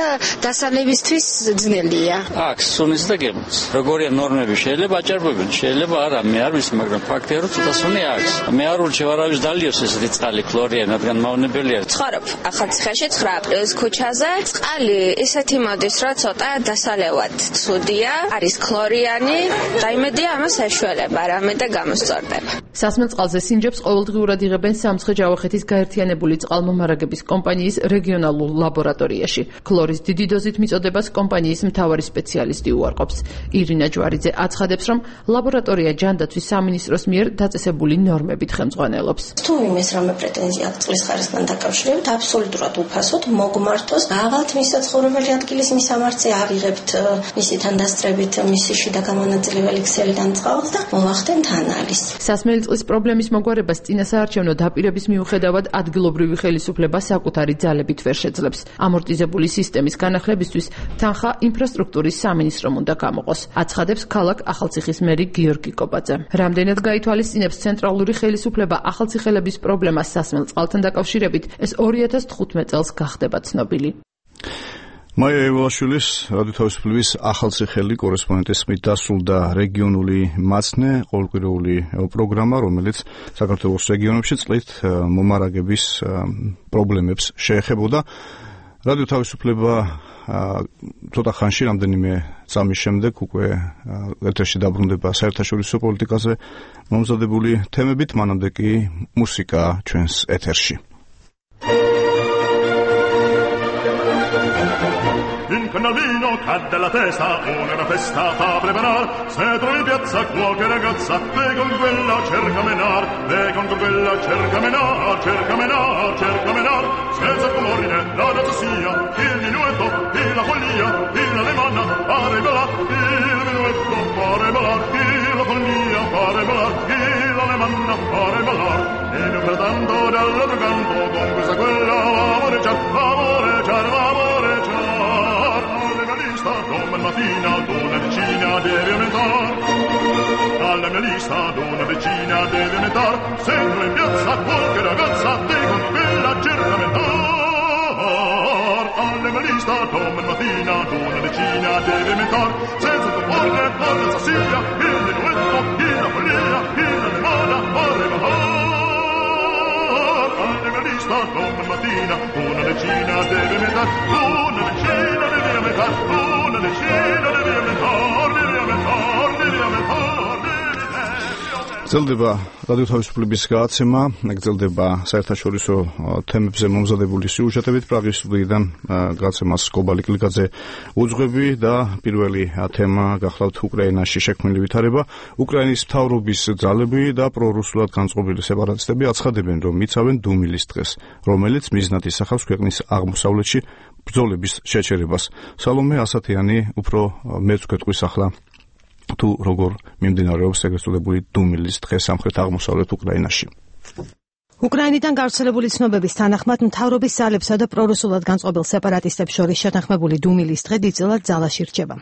Speaker 29: დასალებისთვის ძნელია.
Speaker 2: აქვს სუნის და გემოს. როგორია ნორმები შეიძლება აჭარბებენ, შეიძლება არა, მე არ ვიცი, მაგრამ ფაქტია რომ ცოტა სუნი აქვს. მე არ ურჩევ არავის დალიოს ესეთი წყალი ქლორიანი, რადგან მავნებელია.
Speaker 29: ცხოვრობ ახალციხეში 9 აპრილის ქუჩაზე. წყალი ისეთი მოდის, რომ ცოტა დასალევად ცუდია, არის ქლორიანი, და იმედია ამას ეშველება რამე და გამოსწორდება.
Speaker 27: სასმელ წყალზე სინჯებს ყოველდღიურად იღებენ სამცხე-ჯავახეთის გაერთიანებული წყალმომარაგების კომპანიის რეგიონალურ ლაბორატორიაში. ქლორის დიდი დოზით მიწოდებას კომპანიის მთავარი სპეციალისტი უარყოფს. ირინა ჯვარიძე აცხადებს, რომ ლაბორატორია ჯანდაცვის სამინისტროს მიერ დაწესებული ნორმებით ხელმძღვანელობს.
Speaker 29: თუ იმეს რამე პრეტენზია აქვს წყლის ხარისხთან დაკავშირებით, აბსოლუტურად უფასოდ მოგმართოს, აღალთ მის საცხოვრებელი ადგილის მისამართზე ავიღებთ მისი თანდასწრებით მისი შიდა გამონაწილებელი ქსელიდან წყალს და მოვახდენთ ანალიზს.
Speaker 27: სასმელი წყლის პრობლემის მოგვარებას წინასაარჩევნო დაპირების მიუხედავად ადგილობრივი ხელისუფლება საკუთარი ძალებით ვერ შეძლებს. ამორტიზებული სისტემის განახლებისთვის თანხა ინფრასტრუქტურის სამინისტრომ უნდა გამოყოს, აცხადებს ქალაქ ახალციხის მერი გიორგი კობაძე. რამდენად გაითვალისწინებს ცენტრალური ხელისუფლება ახალციხელების პრობლემას სასმელ წყალთან დაკავშირებით, ეს 2015 წელს გახდება ცნობილი.
Speaker 3: მაია ევაშვილის რადიო თავისუფლების ახალციხელი კორესპონდენტის ხმით დასრულდა რეგიონული მაცნე ყოველკვირეული პროგრამა, რომელიც საქართველოს რეგიონებში წყლით მომარაგების პრობლემებს შეეხებოდა. რადიო თავისუფლება ცოტა ხანში, რამდენიმე წამის შემდეგ უკვე ეთერში დაბრუნდება საერთაშორისო პოლიტიკაზე მომზადებული თემებით, მანამდე კი მუსიკა ჩვენს ეთერში.
Speaker 4: In canalino cadde la testa, una festa fa preparar, se trovi in piazza qualche ragazza, ve con quella cerca menar, cerca menar, senza colorine la danza sia, il minuetto, la follia, l'alemanna, pare ballar, il minuetto, pare ballar, la follia, pare ballar, l'alemanna, pare ballar, e non pertanto dall'altro canto, con questa quella amoreggiar, mattina ad una vicina deve aumentar, alla mia lista ad una vicina deve aumentar, sempre in piazza qualche ragazza te con quella cerca aumentar, alla mia lista ad una mattina ad una vicina deve aumentar, senza comporre la sia, il minuetto, la follia, l'alemana, pare ballar, alla mia lista ad una mattina una vicina deve aumentar, una vicina deve aumentar,
Speaker 3: გრძელდება რადიო თავისუფლების გადაცემა, გრძელდება საერთაშორისო თემებზე მომზადებული სიუჟეტებით. პრაღის სტუდიიდან გადაცემას კობალი კლიკაძე უძღვები და პირველი თემა გახლავთ უკრაინაში შექმნილი ვითარება. უკრაინის მთავრობის ძალები და პრორუსულად განწყობილი სეპარატისტები აცხადებენ, რომ იცავენ დუმილის დღეს, რომელიც მიზნად ისახავს ქვეყნის აღმოსავლეთში ბრძოლების შეჩერებას. სალომე ასათიანი უფრო მეც გვეტყვის ახლა თუ როგორ მიმდინარეობს ეგრეთ წოდებული დუმილის დღე სამხრეთ აღმოსავლეთ უკრაინაში.
Speaker 6: უკრაინიდან გავრცელებული ცნობების თანახმად მთავრობის ძალებსა და პრორუსულად განწყობილ სეპარატისტებს შორის შეთანხმებული დუმილის დღე დიდწილად ძალაში რჩება.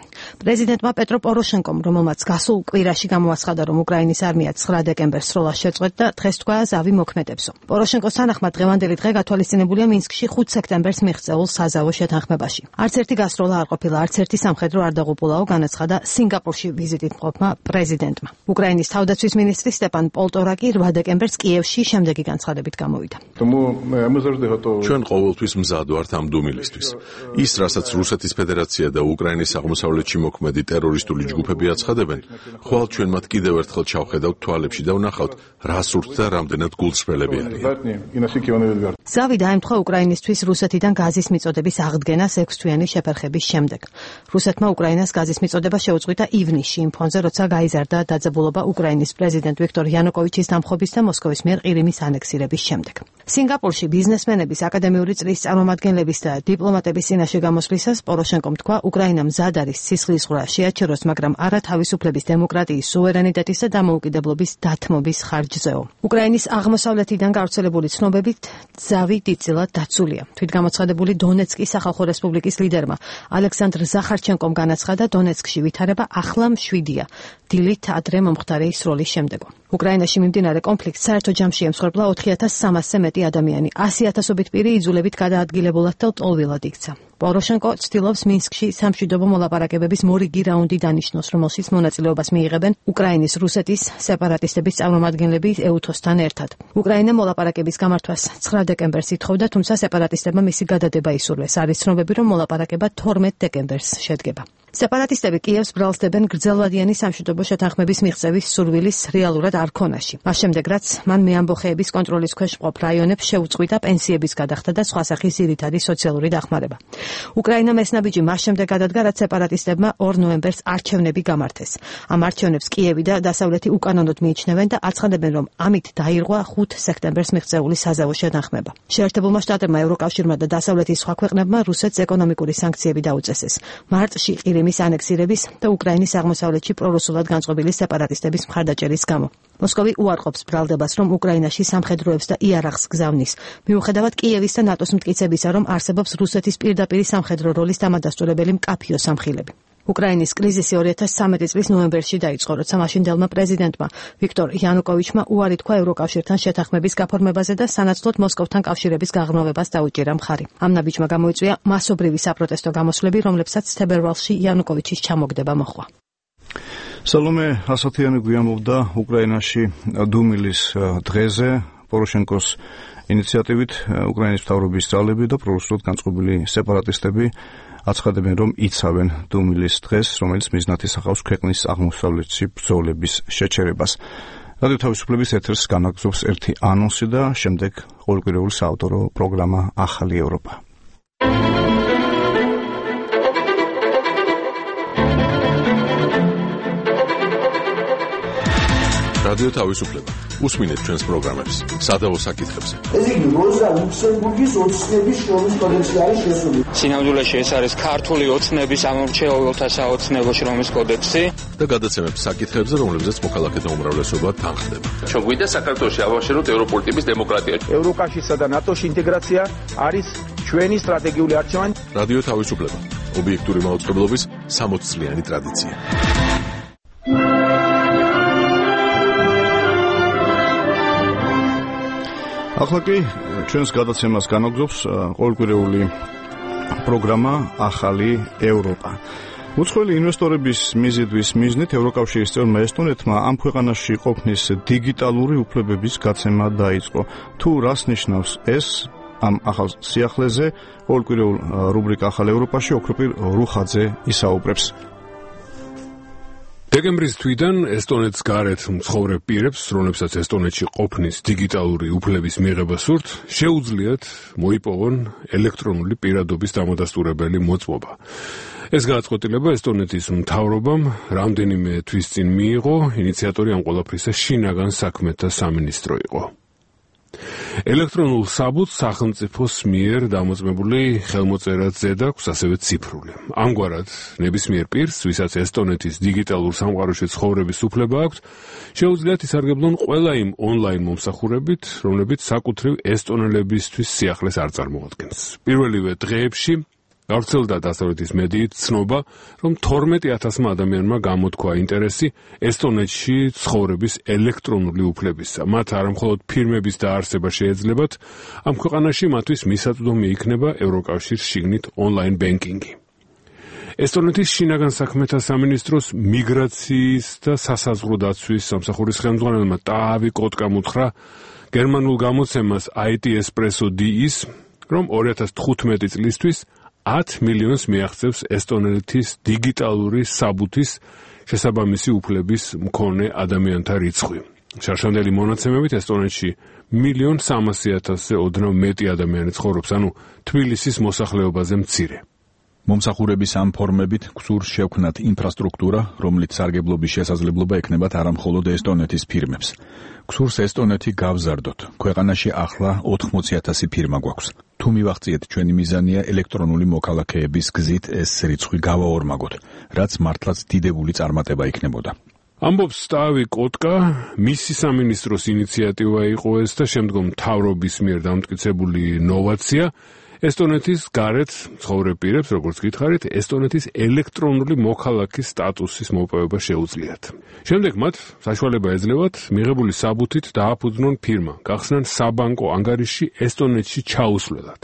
Speaker 6: პრეზიდენტმა პეტრო პოროშენკომ, რომელმაც გასულ კვირაში გამოაცხადა, რომ უკრაინის არმია 9 დეკემბერს სროლას შეწყვეტდა, დღეს თქვა ზავი მოქმედებსო. პოროშენკოს თანახმად დღევანდელი დღე გათვალისწინებულია მინსკში 5 სექტემბერს მიღწეულ საზავო შეთანხმებაში. არც ერთი გასროლა არ ყოფილა, არც ერთი სამხედრო არ დაღუპულაო, განაცხადა სინგაპურში ვიზიტით მყოფმა პრეზიდენტმა. უკრაინის თავდაცვის მინისტრი სტეპან პოლტორაკი 8 დეკემბერს კიევში შემდეგი გამოვიდა.
Speaker 7: ჩვენ ყოველთვის მზად ვართ ამ დუმილისთვის. ის, რასაც რუსეთის ფედერაცია და უკრაინის აღმოსავლეთში მოქმედი ტერორისტული ჯგუფები აცხადებენ, ხვალ ჩვენ მათ კიდევ ერთხელ ჩავხედავთ თვალებში და ვნახავთ, რა სურთ და რამდენად გულწრფელები არიან.
Speaker 6: ზავი დაემთხვა უკრაინისთვის რუსეთიდან გაზის მიწოდების აღდგენას 6 თვიანი შეფერხების შემდეგ. რუსეთმა უკრაინას გაზის მიწოდება შეუწყვიტა ივნისში, იმ ფონზე, როცა გაიზარდა დაძაბულობა უკრაინის პრეზიდენტ ვიქტორ იანუკოვიჩის დამხობის და მოსკოვის მიერ ყირიმის ანექსირების დაპირების შემდეგ. სინგაპურში ბიზნესმენების აკადემიური წრის წარმომადგენლების და დიპლომატების წინაშე გამოსვლისას პოროშენკომ თქვა, უკრაინა მზად არის სისხლის ზღვრა შეაჩეროს, მაგრამ არა თავისუფლების, დემოკრატიის, სუვერენიტეტის და დამოუკიდებლობის დათმობის ხარჯზეო. უკრაინის აღმოსავლეთიდან გავრცელებული ცნობებით ძავი დიდწილად დაცულია. თვითგამოცხადებული დონეცკის სახალხო რესპუბლიკის ლიდერმა ალექსანდრ ზახარჩენკომ განაცხადა, დონეცკში ვითარება ახლა მშვიდია, დილით ადრე მომხდარი სროლის შემდეგო. უკრაინაში მიმდინარე კონფლიქტს საერთო ჯამში ემსხვერპლა 4,300-ზე მეტი ადამიანი, 100,000-ობით პირი იძულებით გადაადგილებულად და ლტოლვილად იქცა. პოროშენკო ცდილობს მინსკში სამშვიდობო მოლაპარაკებების მორიგი რაუნდი დანიშნოს, რომელშიც მონაწილეობას მიიღებენ უკრაინის, რუსეთის სეპარატისტების წარმომადგენლები ეუთოსთან ერთად. უკრაინა მოლაპარაკების გამართვას 9 დეკემბერს ითხოვდა, თუმცა სეპარატისტებმა მისი გადადება ისურვეს. არის ცნობები, რომ მოლაპარაკება 12 დეკემბერს შედგება. სეპარატისტები კიევს ბრალსდებენ გრძელვადიანი სამშვიდობო შეთანხმების მიღწევის სურვილის რეალურად არ ქონაში. მას შემდეგ, რაც მან მეამბოხეების კონტროლის ქვეშ მყოფ რაიონებს შეუწყვიტა პენსიების გადახდა და სხვა სახის ძირითადი სოციალური დახმარება. უკრაინამ ეს ნაბიჯი მას შემდეგ გადადგა, რაც სეპარატისტებმა 2 ნოემბერს არჩევნები გამართეს. ამ არჩევნებს კიევი და დასავლეთი უკანონოდ მიიჩნევენ და აცხადებენ, რომ ამით დაირღვა 5 სექტემბერს მიღწეული საზავო შეთანხმება. შეერთებულმა შტატებმა, ევროკავშირმა და დასავლეთის სხვა ქვეყნებმა რუსეთს ეკონომიკური სანქციები დაუწესეს. მარტში ყირიმის ანექსირების და უკრაინის აღმოსავლეთში პრორუსულად განწყობილი სეპარატისტების მხარდაჭერის გამო. მოსკოვი უარყოფს ბრალდებას, რომ უკრაინაში სამხედროებს და იარაღს გზავნის. მიუხედავად კიევის და ნატოს მტკიცებისა, რომ არსებობს რუსეთის პირდაპირი სამხედრო როლის დამადასტურებელი მკაფიო სამხილები. უკრაინის კრიზისი 2013 წლის ნოემბერში დაიწყო, როცა მაშინდელმა პრეზიდენტმა ვიქტორ იანუკოვიჩმა უარი თქვა ევროკავშირთან შეთანხმების გაფორმებაზე და სანაცვლოდ მოსკოვთან კავშირების გაღრმავებას დაუჭირა მხარი. ამ ნაბიჯმა გამოიწვია მასობრივი საპროტესტო გამოსვლები, რომლებსაც თებერვალში იანუკოვიჩის ჩამოგდება მოჰყვა.
Speaker 3: სალომე ასათიანი გვიამბობდა უკრაინაში დუმილის დღეზე პოროშენკოს ინიციატივით უკრაინის მთავრობის ძალები და პრორუსულად განწყობილი სეპარატისტები აცხადებენ, რომ იცავენ დუმილის დღეს, რომელიც მიზნად ისახავს ქვეყნის აღმოსავლეთში ბრძოლების შეჩერებას. რადიო თავისუფლების ეთერს განაგზობს ერთი ანონსი და შემდეგ ყოველკვირეული საავტორო პროგრამა ახალი ევროპა.
Speaker 7: რადიო თავისუფლება. უსმინეთ ჩვენს პროგრამებს სადავო საკითხებზე.
Speaker 8: ეს იგი როზა ლუქსემბურგის ოცნების შრომის კოდექსი არის შესული.
Speaker 9: სინამდვილეში ეს არის ქართული ოცნების ამორჩეულთა საოცნებო შრომის კოდექსი
Speaker 7: და გადაცემებს საკითხებზე, რომლებზეც მოქალაქეთა უმრავლესობა თანხდება.
Speaker 15: ჩვენ გვინდა საქართველოში ავაშენოთ ევროპული ტიპის დემოკრატია.
Speaker 18: ევროკავშირსა და ნატოში ინტეგრაცია არის ჩვენი სტრატეგიული არჩევანი.
Speaker 7: რადიო თავისუფლება. ობიექტური მაუწყებლობის 60 წლიანი ტრადიცია.
Speaker 3: ახლა კი ჩვენს გადაცემას განაგზობს ყოველკვირეული პროგრამა ახალი ევროპა. უცხოელი ინვესტორების მიზიდვის მიზნით ევროკავშირის წევრმა ესტონეთმა ამ ქვეყანაში ყოფნის დიგიტალური უფლებების გაცემა დაიწყო. თუ რას ნიშნავს ეს ამ ახალ სიახლეზე, ყოველკვირეულ რუბრიკა ახალ ევროპაში ოქროპირ რუხაძე ისაუბრებს.
Speaker 19: დეკემბრის თვიდან ესტონეთს გარეთ მცხოვრებ პირებს, რომლებსაც ესტონეთში ყოფნის დიგიტალური უფლების მიღება სურთ, შეუძლიათ მოიპოვონ ელექტრონული პირადობის დამადასტურებელი მოწმობა. ეს გადაწყვეტილება ესტონეთის მთავრობამ რამდენიმე თვის წინ მიიღო, ინიციატორი ამ ყველაფრისა შინაგან საქმეთა სამინისტრო იყო. ელექტრონულ საბუთს სახელმწიფოს მიერ დამოწმებული ხელმოწერაც ზედაქვს, ასევე ციფრული. ამგვარად, ნებისმიერ პირს, ვისაც ესტონეთის დიგიტალურ სამყაროში ცხოვრების უფლება აქვს, შეუძლიათ ისარგებლონ ყველა იმ ონლაინ მომსახურებით, რომლებიც საკუთრივ ესტონელებისთვის სიახლეს არ წარმოადგენს. პირველივე დღეებში გავრცელდა დასავლეთის მედიით ცნობა, რომ 12,000 ადამიანმა გამოთქვა ინტერესი ესტონეთში ცხოვრების ელექტრონული უფლებისა. მათ არამხოლოდ ფირმების დაარსება შეეძლებათ, ამ ქვეყანაში მათთვის მისაწვდომი იქნება ევროკავშირის შიგნით ონლაინ ბენკინგი. ესტონეთის შინაგან საქმეთა სამინისტროს მიგრაციის და სასაზღვრო დაცვის სამსახურის ხელმძღვანელმა ტაავი კოტკამ უთხრა გერმანულ გამოცემას IT Espresso DE-ის, რომ 2015 წლისთვის 10 მილიონს მიაღწევს ესტონეთის დიგიტალური საბუთის შესაბამისი უფლების მქონე ადამიანთა რიცხვი. შარშანდელი მონაცემებით ესტონეთში 1,300,000-ზე ოდნავ მეტი ადამიანი ცხოვრობს, ანუ თბილისის მოსახლეობაზე მცირე.
Speaker 10: მომსახურების ამ ფორმებით გსურს შევქმნათ ინფრასტრუქტურა, რომლით სარგებლობის შესაძლებლობა ექნებათ არა მხოლოდ ესტონეთის ფირმებს. გსურს ესტონეთი გავზარდოთ. ქვეყანაში ახლა 80,000 ფირმა გვაქვს. თუ მივახციეთ, ჩვენი მიზანია ელექტრონული მოქალაქეების გზით ეს რიცხვი გავაორმაგოთ, რაც მართლაც დიდებული წარმატება იქნებოდა.
Speaker 19: ამბობს სტავი კოტკა, მისი სამინისტროს ინიციატივა იყო ეს და შემდგომ მთავრობის მიერ დამტკიცებული ნოვაცია ესტონეთის გარეთ მცხოვრებ პირებს, როგორც გითხარით, ესტონეთის ელექტრონული მოქალაქის სტატუსის მოპოვება შეუძლიათ. შემდეგ მათ საშუალება ეძლევათ მიღებული საბუთით დააფუძნონ ფირმა, გახსნან საბანკო ანგარიში ესტონეთში ჩაუსვლელად.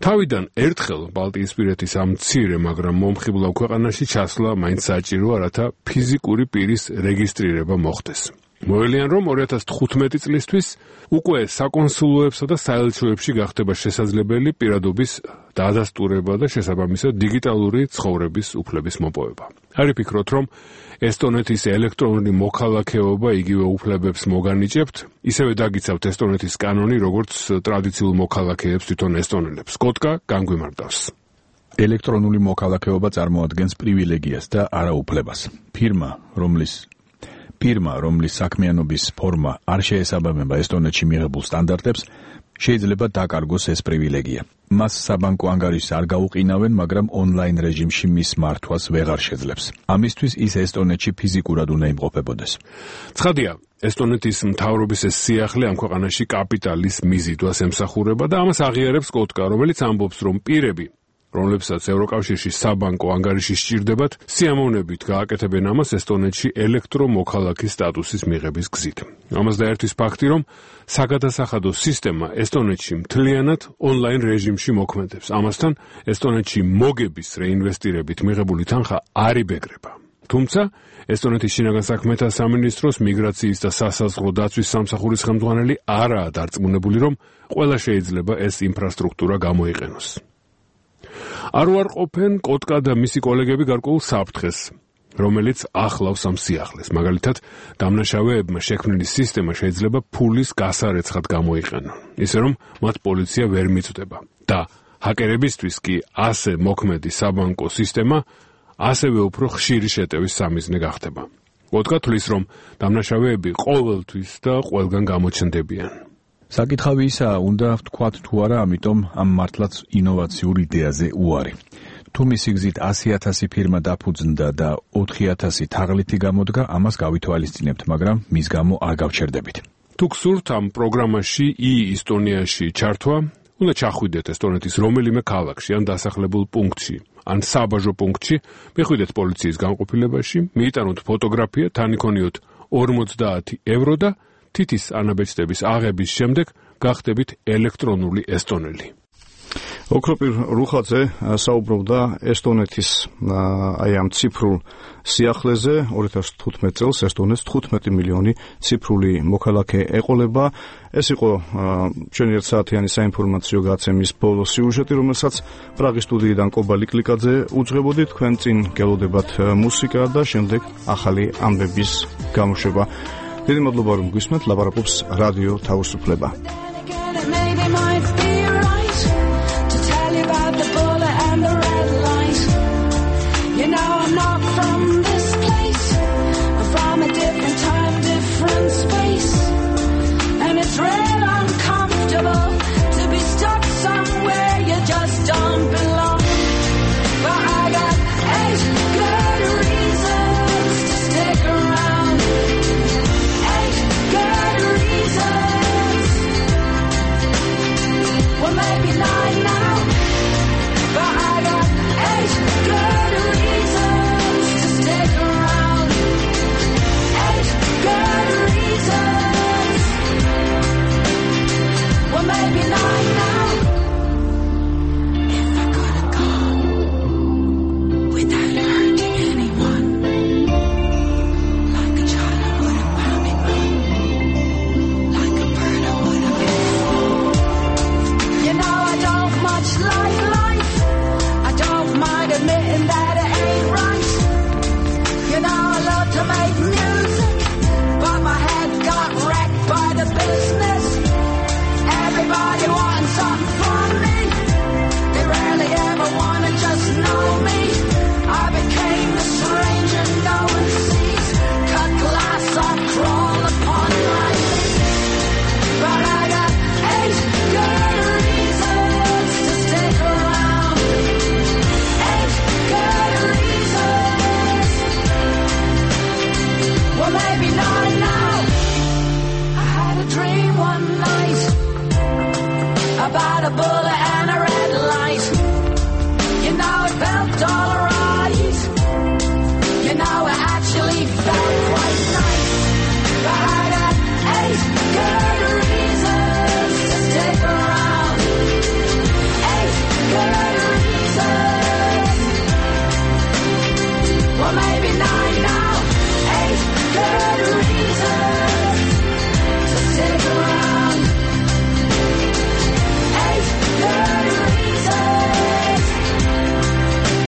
Speaker 19: თავიდან ერთხელ ბალტიისპირეთის ამ მცირე, მაგრამ მომხიბლავ ქვეყანაში ჩასვლა მაინც საჭიროა, რათა ფიზიკური პირის რეგისტრირება მოხდეს. მოელიან, რომ 2015 წლისთვის უკვე საკონსულოებსა და საელჩოებში გახდება შესაძლებელი პირადობის დადასტურება და შესაბამისად დიგიტალური ცხოვრების უფლების მოპოვება. არ ვფიქრობთ, რომ ესტონეთის ელექტრონული მოქალაქეობა იგივე უფლებებს მოგანიჭებთ, ისევე დაგიცავთ ესტონეთის კანონი, როგორც ტრადიციულ მოქალაქეებს თვითონ ესტონელებს. კოტკა განგვიმარტავს.
Speaker 10: ელექტრონული მოქალაქეობა წარმოადგენს პრივილეგიას და არა უფლებას. ფირმა, რომლის საქმიანობის ფორმა არ შეესაბამება ესტონეთში მიღებულ სტანდარტებს, შეიძლება დაკარგოს ეს პრივილეგია. მას საბანკო ანგარიშს არ გაუყინავენ, მაგრამ ონლაინ რეჟიმში მის მართვას ვეღარ შეძლებს. ამისთვის ის ესტონეთში ფიზიკურად უნდა იმყოფებოდეს.
Speaker 19: ცხადია, ესტონეთის მთავრობის ეს სიახლე ამ ქვეყანაში კაპიტალის მიზიდვას ემსახურება და ამას აღიარებს კოტკა, რომელიც ამბობს, რომ პირები, რომლებსაც ევროკავშირში საბანკო ანგარიში სჭირდებათ, სიამოვნებით გააკეთებენ ამას ესტონეთში ელექტრომოქალაქის სტატუსის მიღების გზით. ამას დაერთვის ფაქტი, რომ საგადასახადო სისტემა ესტონეთში მთლიანად ონლაინ რეჟიმში მოქმედებს. ამასთან ესტონეთში მოგების რეინვესტირებით მიღებული თანხა არ იბეგრება. თუმცა ესტონეთის შინაგან საქმეთა სამინისტროს მიგრაციის და სასაზღვრო დაცვის სამსახურის ხელმძღვანელი არაა დარწმუნებული, რომ ყველა შეიძლება ეს ინფრასტრუქტურა გამოიყენოს. არ უარყოფენ კოტკა და მისი კოლეგები გარკვეულ საფრთხეს, რომელიც ახლავს ამ სიახლეს. მაგალითად, დამნაშავეებმა შექმნილი სისტემა შეიძლება ფულის გასარეცხად გამოიყენონ, ისე რომ მათ პოლიცია ვერ მიწვდება. და ჰაკერებისთვის კი ასე მოქმედი საბანკო სისტემა ასევე უფრო ხშირი შეტევის სამიზნე გახდება. კოტკა თვლის, რომ დამნაშავეები ყოველთვის და ყველგან გამოჩნდებიან.
Speaker 10: საკითხავი ისაა, უნდა ვთქვათ თუ არა, ამიტომ ამ მართლაც ინოვაციურ იდეაზე უარი. თუ მისი გზით 100,000 ფირმა დაფუძნდა და 4,000 თაღლითი გამოდგა, ამას გავითვალისწინებთ, მაგრამ მის გამო არ გავჩერდებით.
Speaker 19: თუ გსურთ ამ პროგრამაში ი-ესტონიაში ჩართვა, უნდა ჩახვიდეთ ესტონეთის რომელიმე ქალაქში ან დასახლებულ პუნქტში, ან საბაჟო პუნქტში, მიხვიდეთ პოლიციის განყოფილებაში, მიიტანოთ ფოტოგრაფია, თან იქონიოთ 50 ევრო და თითის ანაბეჭდების აღების შემდეგ გახდებით ელექტრონული ესტონელი.
Speaker 3: ოქროპირ რუხაძე საუბრობდა ესტონეთის ამ ციფრულ სიახლეზე. 2015 წელს ესტონეთს 15 მილიონი ციფრული მოქალაქე ეყოლება. ეს იყო ჩვენი ერთსაათიანი საინფორმაციო გაცემის ბოლო სიუჟეტი, რომელსაც პრაღის სტუდიიდან კობალი კლიკაძე უძღვებოდი. თქვენ წინ გელოდებათ მუსიკა და შემდეგ ახალი ამბების გამოშვება. დიდი მადლობა, რომ გვისმენთ. ლაპარაკობს რადიო თავისუფლება. You know